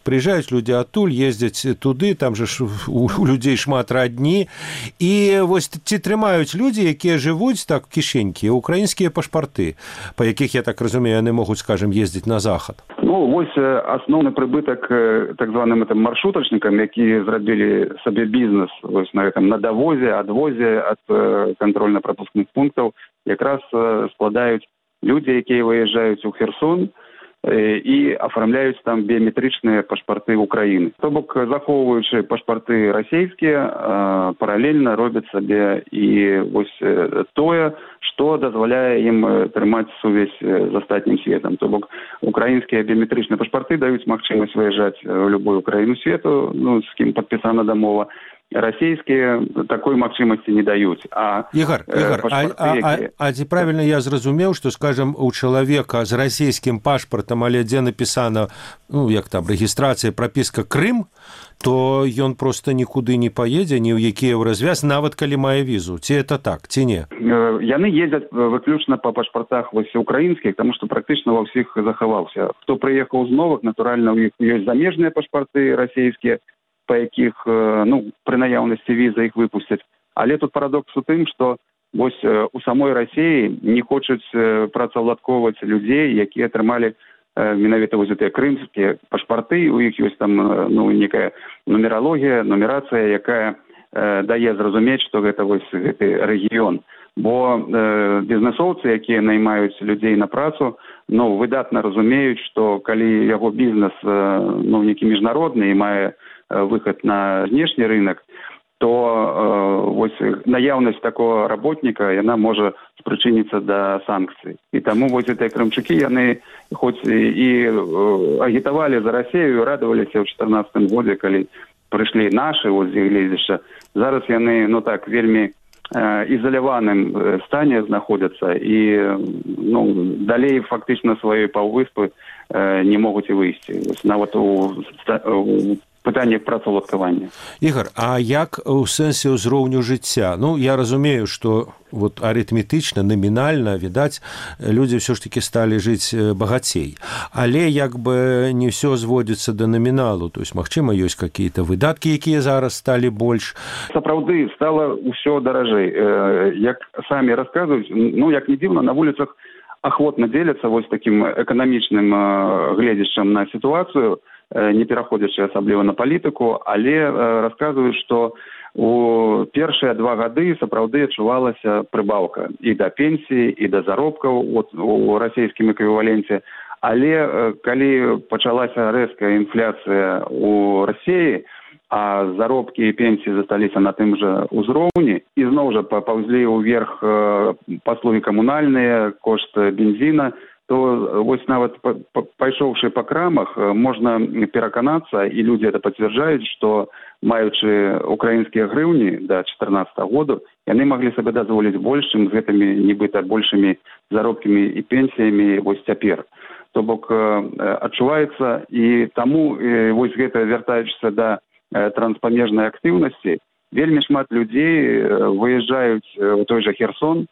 прыязджаюць людзі адтуль, ездзяць туды, там жа у людзей шмат радні, і вось ці трымаюць людзі, якія жывуць так кішенькі, украінскія пашпарты, па якіх, я так разумею, яны могуць, скажем, ездзіць на захад? Вось асноўны прыбытак так званым маршрутачнікам, які зрабілі сабе бізнес вось на гэтым, на давозе, адвозе ад кантрольна-прапускных пунктаў, якраз складаюць людзі, якія выязджаюць у Херсон, і афармляюць там біяметрычныя пашпарты Украіны. То бок, захоўваючы пашпарты расійскія, паралельна робяць сабе і вось тое, што дазваляе ім трымаць сувязь з астатнім светам. То бок, украінскія біяметрычныя пашпарты даюць магчымасць выязджаць у любую краіну свету, ну, з кім падпісана дамова. Расійскія такой магчымасці не даюць. Ігор, ці правільна я зразумеў, што, скажам, у чалавека з расійскім пашпартам, але дзе напісана, ну, як там, рэгістрацыя, прапіска Крым, то ён проста нікуды не паедзе, ні ў які развяз, нават калі мае візу. Ці это так, ці не? Яны ездзяць выключна па пашпартах вось украінскіх, таму што практычна ва ўсіх захаваўся. Хто прыехаў з новых, натуральна, у іх ёсць замежныя пашпарты расійскія, па якіх, ну, пры наяўнасці віза іх выпусцяць. Але тут парадокс у тым, што вось у самой Расіі не хочуць працаўладковаць людзей, якія атрымалі менавіта вось гэтыя крымскія пашпарты. У іх ёсць там, ну, некая нумералогія, нумерацыя, якая дае зразумець, што гэта вось гэты рэгіён. Бо бізнесоўцы, якія наймаюць людзей на працу, ну, выдатна разумеюць, што калі яго бізнес, ну, некі міжнародны і мае выход на знешні рынок, то вось наяўнасць такого работніка, яна можа спрычыніцца да санкцый. І таму вось гэтыя крымчукі, яны хоць і агітавалі за Расію, радаваліся ў 2014 годзе, калі прыйшлі нашы вось гледзішча. Зараз яны, ну так, вельмі ізаляваным стане знаходзяцца і, ну, далей фактычна сваёй паўвыспы не могуць і выйсці. Нават у пытаннях працаўладкавання. Ігор, а як у сэнсе ўзроўню жыцця? Ну, я разумею, што вот арытметычна, намінальна, відаць, людзі ўсё ж такі сталі жыць багацей. Але як бы не ўсё зводзіцца да наміналу. То есть, магчыма, ёсць какія-то выдаткі, якія зараз сталі больш. Сапраўды, стала ўсё даражэй. Як самі расказваюць, ну, як не дзіўна, на вуліцах ахвотна дзеляцца вось такім эканамічным гледзішчам на сітуацыю, не пераходзячы асабліва на палітыку, але расказваюць, што у першыя 2 гады сапраўды адчувалася прыбаўка і да пенсіі, і да заробкаў у расійскім эквіваленце. Але калі пачалася рэзкая інфляцыя у Расіі, а заробкі і пенсіі засталіся на тым жа ўзроўні, і зноў жа папаўзлі ўверх паслугі камунальныя, кошт бензіна, то вось нават пайшоўшы па крамах, можна пераканацца, і людзі это пацвярджаюць, што маючы украінскія грыўні да 2014 году, яны маглі сабе дазволіць больш, чым з гэтымі нібыта большымі заробкамі і пенсіямі вось цяпер. То бок адчуваецца, і таму вось гэта, вяртаючыся да транспамежнай актыўнасці, вельмі шмат людзей выязджаюць у той жа Херсон,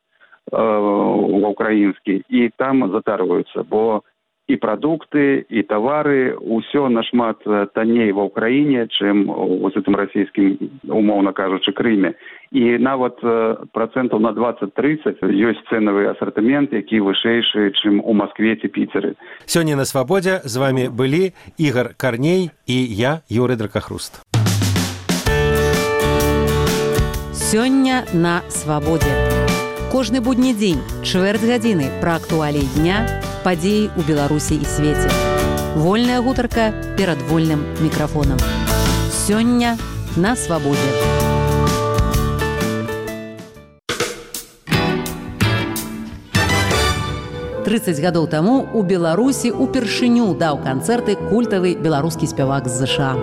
ва ўкраінскі, і там затарваюцца, бо і прадукты, і тавары, усё нашмат танней ва ўкраіне, чым у гэтым расійскім, умоўна кажучы, Крыме. І нават працэнтаў на 20-30 ёсць цэнавы асартымент, які вышэйшы, чым у Маскве ці Піцеры. Сёння на Свабодзе з вами былі Ігор Карней і я, Юрый Дракахруст. Сёння на Свабодзе. Кожны будні дзень, чвэрць гадзіны пра актуаліі дня, падзеі ў Беларусі і свеце. Вольная гутарка перад вольным мікрафонам. Сёння на Свабодзе. «30 гадоў таму у Беларусі упершыню даў канцэрты культавы беларускі спявак з ЗША.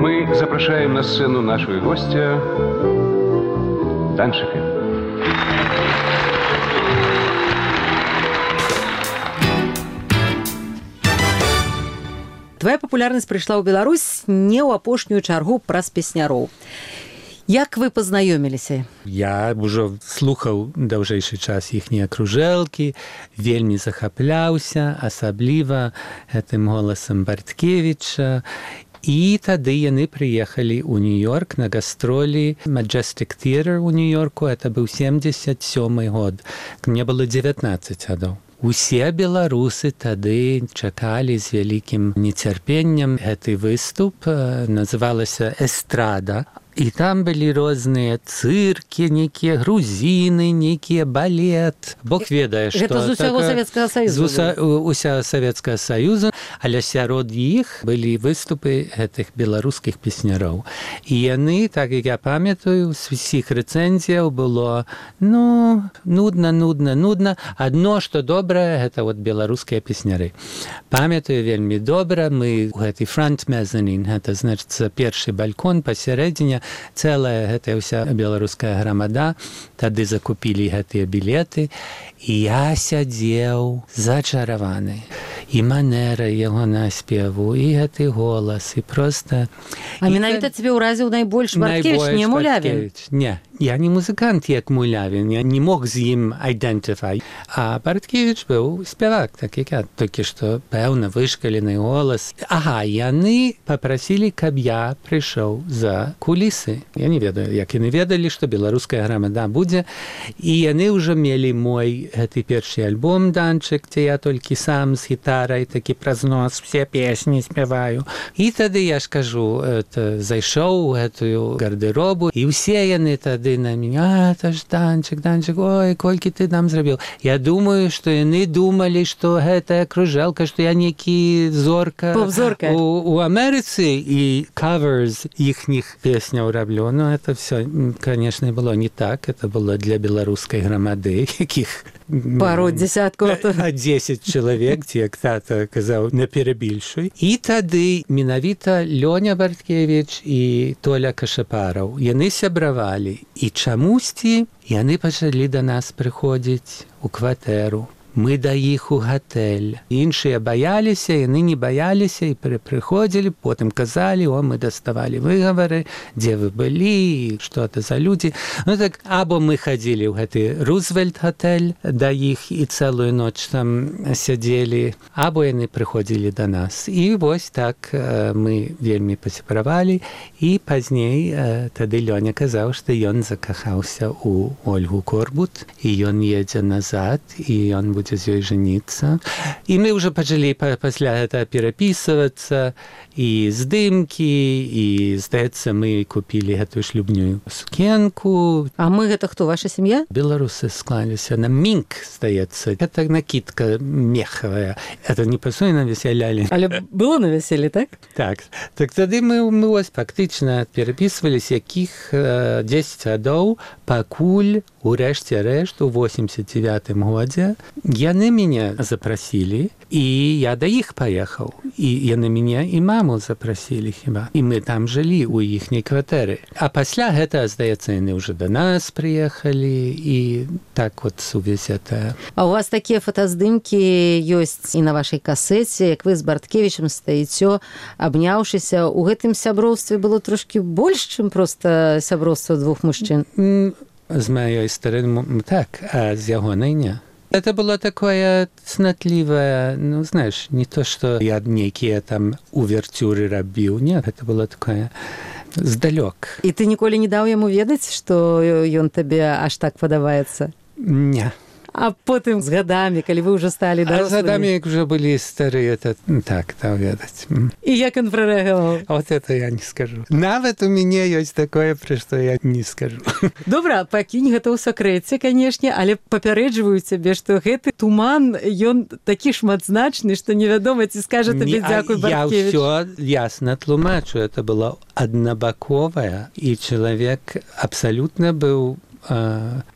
Мы запрашаем на сцену нашего гостя Данчика. Твоя папулярнасць прыйшла ў Беларусь не ў апошнюю чаргу праз песняроў. Як вы пазнаёміліся? Я ўжо слухаў даўжэйшы час іхнія кружэлкі, вельмі захапляўся, асабліва гэтым голасам Барткевіча. І тады яны прыехалі ў Нью-Йорк на гастролі Majestic Theatre ў Нью-Йорку. Это быў 77-й год. Мне было 19 гадоў. Усе беларусы тады чакалі з вялікім нецярпеннем гэты выступ. Называлася «Эстрада». І там былі розныя цыркі, нейкія грузіны, нейкія балет. Бог ведае, што... Гэта з усяго Савецкага Саюзу. Усяго Савецкага Саюзу, але сярод іх былі выступы гэтых беларускіх песняроў. І яны, так як я памятаю, з усіх рэцэнзіяў было, нудна. Адно, што добрае, гэта вот беларускія песняры. Памятаю вельмі добра, мы у гэты фронт мезанін, гэта, значыцца, першы балькон пасярэдзіне, цэлая гэтая ўся беларуская грамада, тады закупілі гэтыя білеты, і я сядзеў зачараваны. І манера яго наспеву, і гэты голас, і проста... А менавіта цябе ўразіў найбольш Барткевіч, не Мулявін? Не, я не музыкант, як Мулявін, я не мог з ім айдэнтыфай. А Барткевіч быў спявак, так як я, толькі што, пэўна, вышкалены голас. Ага, яны папрасілі, каб я прыйшоў за кулісы. Я не ведаю, як яны ведалі, што беларуская грамада будзе, і яны ўжо мелі мой гэты першы альбом «Данчык», дзе я толькі сам з гітарай, такі праз нос, все песні спяваю. І тады, я ж кажу, зайшоў у гэтую гардеробу, і ўсе яны тады на мяне, это ж Данчык, ой, колькі ты нам зрабіў. Я думаю, што яны думалі, што гэтая кружэлка, што я нейкі зорка у Амерыцы, і каверс іхніх песняў раблю. Ну, это все, конечно, было не так. Это было для беларускай грамады, якіх пару десяткаў. 10 чалавек, як тата казаў, не перабільшуй. І тады менавіта Лёня Барткевіч і Толя Кашапараў, яны сябравалі. І чамусьці яны пачалі да нас прыходзіць у кватэру. Мы да іх у гатэль. Іншыя баяліся, яны не баяліся і прыходзілі, потым казалі, мы даставалі выгавары, дзе вы былі, што это за людзі. Ну так, або мы хадзілі ў гэты Рузвельт-гатэль да іх і цэлую ноч там сядзелі, або яны прыходзілі да нас. І вось так мы вельмі пасябравалі, і пазней тады Лёня казаў, што ён закахаўся ў Ольгу Корбут, і ён едзе назад, і ён будзе з ёй жаніцца. І мы ўжо пачалі пасля гэта перапісвацца, і здымкі, і, здаецца, мы купілі гэтую шлюбную сукенку. А мы гэта хто, ваша сям'я? Беларусы склаліся на мінк, здаецца. Гэта накидка мехавая. Это не пасуе на весялялі. Але было на вяселлі, так? Так. Так тады мы ось фактычна перапісваліся, якіх 10 гадоў, пакуль у рэшце рэшт у 89-м годзе яны мяне запрасілі, і я да іх паехаў. І яны мяне і маму запрасілі хіба. І мы там жылі ў іхняй кватэры. А пасля гэта, здаецца, яны ўжо да нас прыехалі, і так вот сувязь это. А у вас такія фотаздымкі ёсць і на вашай касеце, як вы з Барткевічам стаіцё, абняўшыся. У гэтым сяброўстве было трошкі больш, чым проста сяброўства двух мужчын? З маёй стороны, так, а з ягонай не. Это было такое цнотливое, ну, знаешь, не то, что я нейкія там увертюры рабіў, нет, это было такое здалёк. І ты ніколі не даў яму ведаць, што ён табе аж так падабаецца? Не. А потым з гадамі, калі вы ўжо сталі дарослымі? А з гадамі, як уже былі старыя, то так, даў ведаць. І як ён прарэагаваў? Вот это я не скажу. Нават у мяне ёсць такое, пра што я не скажу. Добра, пакінь гэта ў сакрэце, канешне, але папярэджваю цябе, што гэты туман, ён такі шматзначны, што невядома, ці скажа табе дзякуй, Барткевіч. Я ўсё ясна тлумачу. Это было аднабаковае, і чалавек абсалютна быў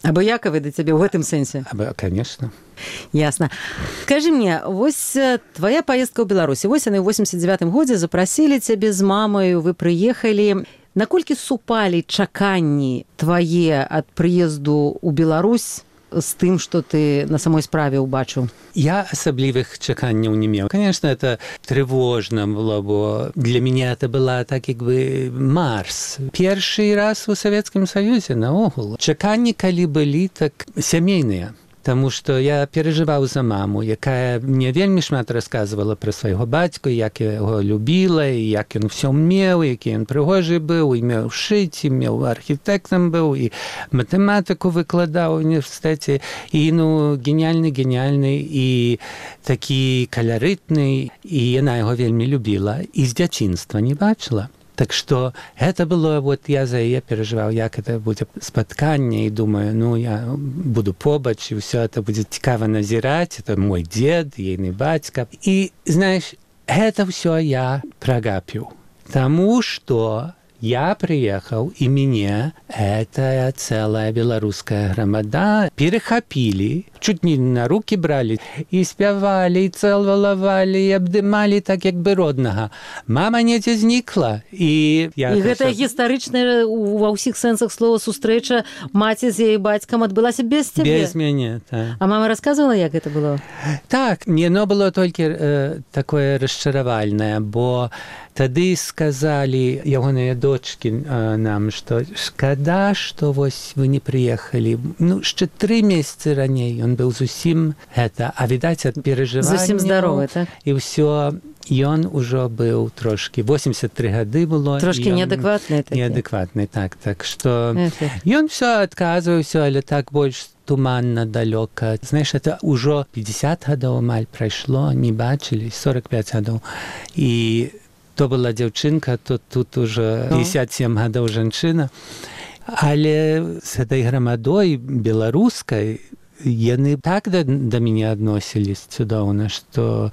абыякавы да цябе ў гэтым сэнсе? Конечно. Ясна. Скажи мне, вось твоя поездка ў Беларусі, вось яны ў 89-м годзе запрасілі цябе з мамаю, вы прыехалі. Наколькі супалі чаканні твае ад прыезду ў Беларусь з тым, што ты на самой справе ўбачыў? Я асаблівых чаканняў не меў. Конечно, это тревожно было, бо для меня это была так, як бы Марс. Першы раз у Савецкім Саюзе наогул. Чаканні, калі былі, так сямейныя. Таму што я перажываў за маму, якая мне вельмі шмат расказвала пра свайго бацьку, як я яго любіла, і як ён усё меў, які ён прыгожы быў, і меў шыць, і меў архітэктам быў, і матэматыку выкладаў у універсітэце, і, ну, геніальны, і такі каларытны, і яна яго вельмі любіла, і з дзяцінства не бачыла. Так што гэта было, вот я за яе перажываў, як это будзе спатканне, і думаю, ну, я буду побач, і ўсё это будзе цікава назіраць, это мой дзед, ейны бацька. І, знаеш, гэта ўсё я прагапіў. Таму што я приехал, и меня эта целая белорусская громада перехопили, чуть не на руки брали, и спевали, и целовали, и обдымали так, як бы родного. Мама недзе знікла. І гэта гістарычная ва ўсіх сэнсах слова сустрэча маці з яе бацькам адбылася без цябе? Без мяне, так. А мама рассказывала, як гэта было? Так, но было толькі такое расчаравальнае, бо тады сказалі ягоныя дочкі нам, што шкада, што вось вы не прыехалі. Ну, яшчэ 3 месяцы раней ён быў зусім гэта, а відаць ад перажывання. Зусім здаровы, так? І ўсё, ён ужо быў трошкі, 83 гады было. Трошкі неадэкватны такі. Неадэкватны, так. Так што ён всё адказваў, всё, але так больш туманна, далёка. Знаеш, это ўжо 50 гадоў амаль прайшло, не бачылі, 45 гадоў. І то была дзяўчынка, то тут уже 57 гадоў жанчына. Але з гэтай грамадой беларускай яны так да мяне адносілись цудоўна, што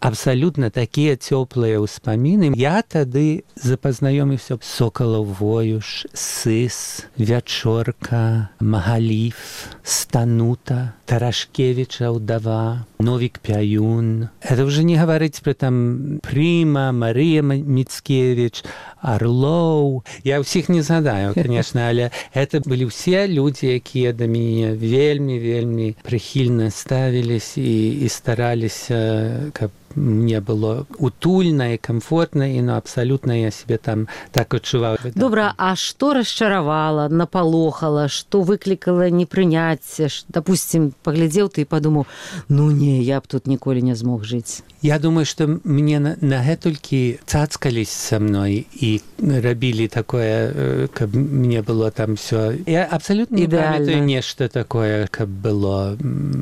абсалютна такія цёплыя ўспаміны. Я тады запазнаёміўся Сокалаў Воюш, Сыс, Вячорка, Магаліф, Станута, Тарашкевіча ўдава, Новік Пяюн. Это уже не гаварыць пра там Прыма, Марыя Міцкевіч, Орлоў. Я ўсіх не згадаю, конечно, але гэта былі ўсе людзі, якія да мяне вельмі прыхільна ставілись і стараліся, каб мне было утульна і комфортна, і абсалютна я себе там так адчуваў. Добра, а што расчаравала, напалохала, што выклікала непрыняцце? Допустим, паглядзеў ты і падумаў, ну не, я б тут ніколі не змог жыць. Я думаю, што мне на гэтулькі цацкались са мной і рабілі такое, каб мне было там все. Я абсалютна не памятаю нешта такое, каб было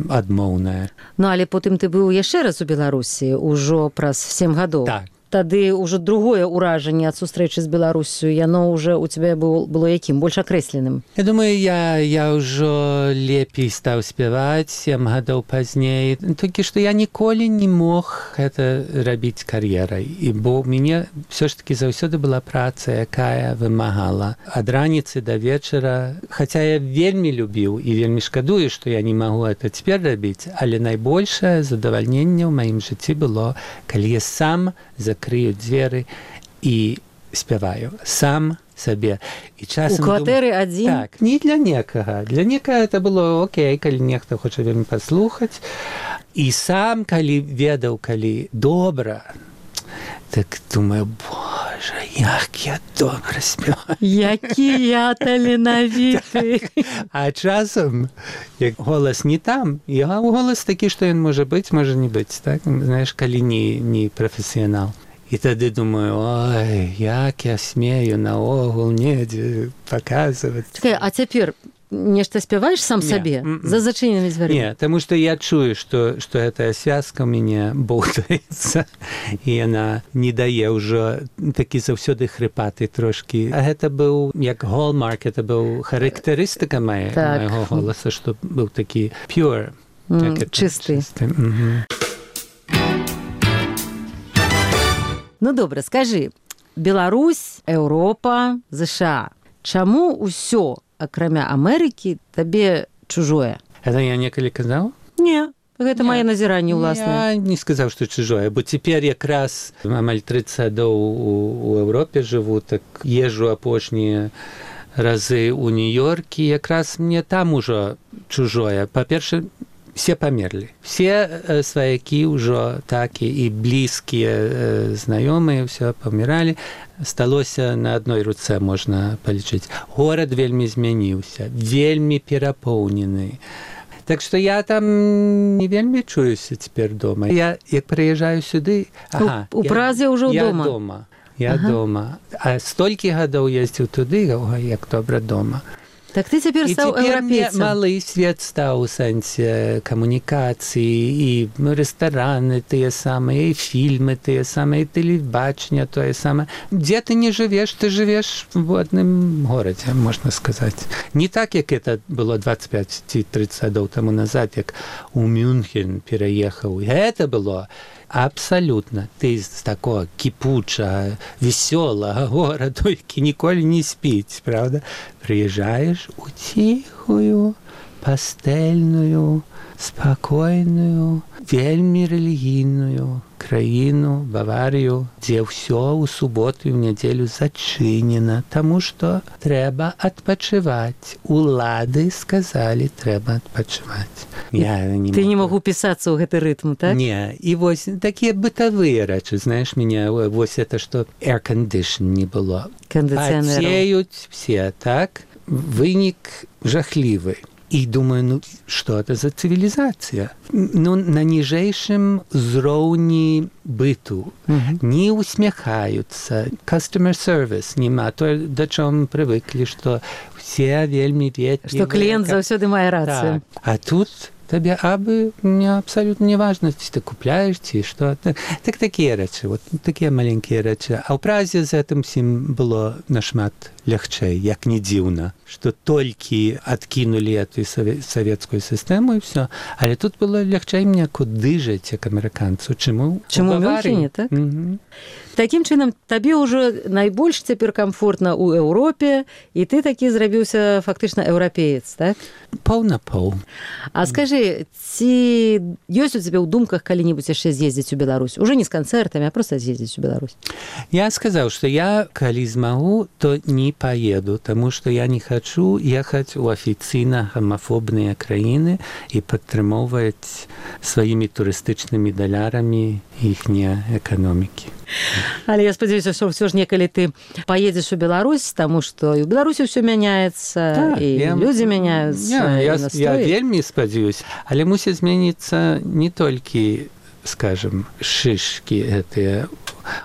адмоўнае. Ну, але потым ты быў яшчэ раз у Беларусі, ужо праз 7 гадоў. Так. Тады ўжо другое ўражанне ад сустрэчы з Беларусю, яно ўжо ў цябе было якім? Больш акрэсленым? Я думаю, я ўжо лепей стаў спяваць 7 гадоў пазней. Толькі што я ніколі не мог гэта рабіць кар'ерай. І бо ў мяне ўсё ж такі заўсёды была праца, якая вымагала ад раніцы да вечара. Хаця я вельмі любіў і вельмі шкадую, што я не магу гэта цяпер рабіць, але найбольшае задавальненне ў маім жыцці было, калі я сам закрыю дзверы і спяваю сам сабе. І часам у кватэры адзін? Так, не для некага. Для некага это было окей, калі нехта хоча вельмі паслухаць. І сам, калі ведаў, калі добра, так думаю, боже, як я добра спяваю. Які я таленавіты. А часам, як голас не там, і голас такі, што ён можа быць, можа не быць, так? Знаеш, калі не прафесіянал. І тады думаю, ой, як я смею наогул недзе паказваць. Чакай, а цяпер нешта спяваеш сам сабе? За зачыненымі дзвярымі? Не, таму што я чую, што гэтая связка ў мяне боўтаецца, і яна не дае ўжо такі заўсёды хрыпаты трошкі. А гэта быў, як hallmark, это быў характарыстыка майго голаса, што быў такі pure. Чысты. Ну, добра, скажы, Беларусь, Еўропа, ЗША. Чаму ўсё, акрамя Амерыкі, табе чужое? Это я некалі казаў? Не, гэта мае назіранне ўласнае. Я не сказаў, што чужое, бо цяпер якраз амаль 30 гадоў у Еўропе жыву, так езжу апошнія разы ў Нью-Йоркі, якраз мне там ужо чужое. Па-перше, все памерлі. Все сваякі ўжо так і блізкія знаёмыя ўсё паміралі. Сталося на адной руцэ можна палічыць. Горад вельмі змяніўся, вельмі перапоўнены. Так што я там не вельмі чуюся цяпер дома. Я, як прыязджаю сюды... У Празе ўжо дома? Я дома. А столькі гадоў ездзіў туды, як добра дома. Так ты цяпер І стаў цяпер мне еўрапейцам. малы свет стаў у сэнсе камунікацыі, і рэстараны тыя самыя, і фільмы тыя самыя, і тэлебачанне тое самае. Дзе ты не жывеш, ты жывеш в адным горадзе, можна сказаць. Не так, як это было 25 ці 30 гадоў таму назад, як у Мюнхен пераехаў. Гэта было абсалютна. Ты з такого кіпучага, весёлага гораду, які ніколі не спіць, правда? Прыязджаеш у ціхую, пастэльную, спакойную, вельмі рэлігійную краіну, Баварію, дзе ўсё ў суботу і ў нядзелю зачынена, таму што трэба адпачываць. Улады сказалі, трэба адпачываць. Ты не магу пісацца ў гэты рытм, так? Не, і вось такія бытавыя рэчы, знаеш, меня вось это, што air-condition не было. Кондиционеров. Потеют все, так? Вынік жахлівы. І думаю, што это за цывілізацыя? На ніжэйшым узроўні быту. Не усміхаюцца. Customer service няма. То, да чым прывыклі, што все вельмі ветлівыя. Што кліент заўсёды мае рацыю. Так. А тут табе абы абсалютна не важна, ці ты купляеш, ці што. Так такія рэчы, вот такія маленькія рэчы. А ў Празе з гэтым всім было нашмат лягчэй, як не дзіўна, што толькі адкінулі эту савецкую сістэму і ўсё. Але тут было лягчэй мне куды жыць, як амерыканцу. Чаму? Чаму ў Мюнхене, так? Такім чынам, табе ўжо найбольш цяпер камфортна ў Еўропе, і ты такі зрабіўся фактычна еўрапеец, так? Паў на паў. А скажы, ці ёсць у цябе ў думках калі-небудзь яшчэ з'ездзіць у Беларусь? Уже не з канцэртамі, а проста з'ездзіць у Беларусь. Я сказаў, што я, калі змагу, то не поеду, таму што я не хачу ехаць у афіцыйна гомафобныя краіны і падтрымоўваць сваімі турыстычнымі далярамі іхнія эканомікі. Але я спадзяюся, што ўсё ж некалі ты паедзеш у Беларусь, таму што і ў Беларусі ўсё мяняецца, і людзі мяняюцца. Я вельмі спадзяюсь, але мусіць змяніцца не толькі, скажем, шышкі гэтыя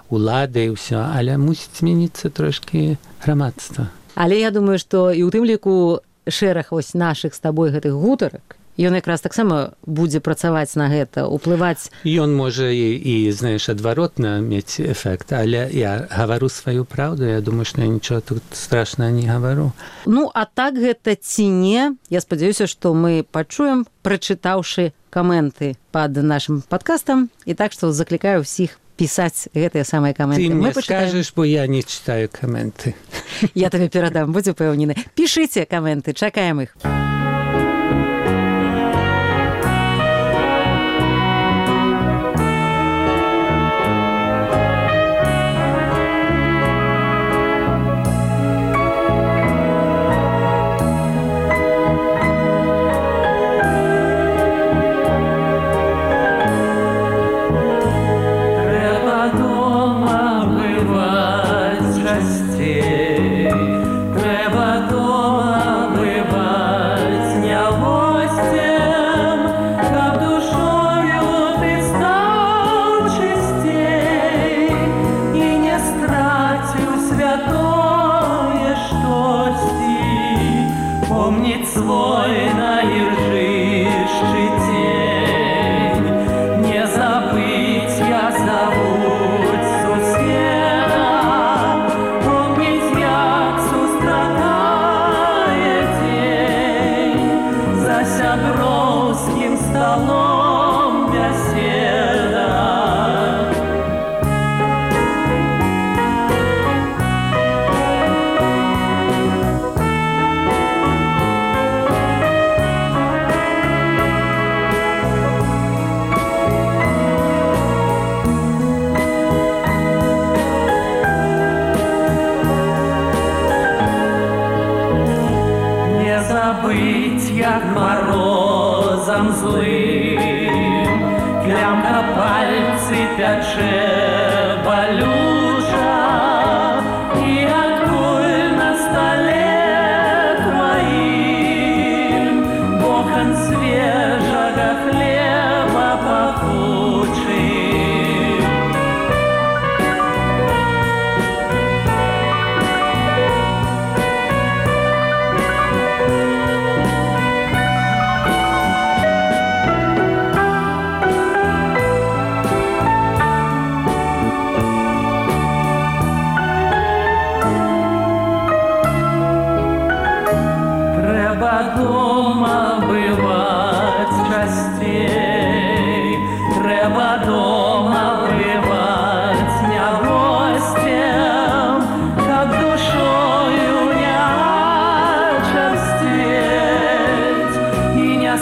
улады і ўсё, але мусіць змяніцца трошкі грамадства. Але я думаю, што і ў тым ліку шэраг вось нашых з табой гэтых гутарак, ён якраз таксама будзе працаваць на гэта, уплываць. Ён можа і знаеш, адваротна мець эфект, але я гавару сваю праўду, я думаю, што я нічого тут страшнага не гавару. Ну, а так гэта ці не? Я спадзяюся, што мы пачуем, прачытаўшы каменты пад нашым падкастам, і так што заклікаю ўсіх пісаць гэтыя самыя каменты. Ты мне скажаш, бо я не читаю каменты. Я табе перадам, будь упэўнены. Пішыце каменты, чакаем іх.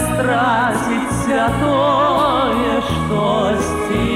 страціць святое штосьці.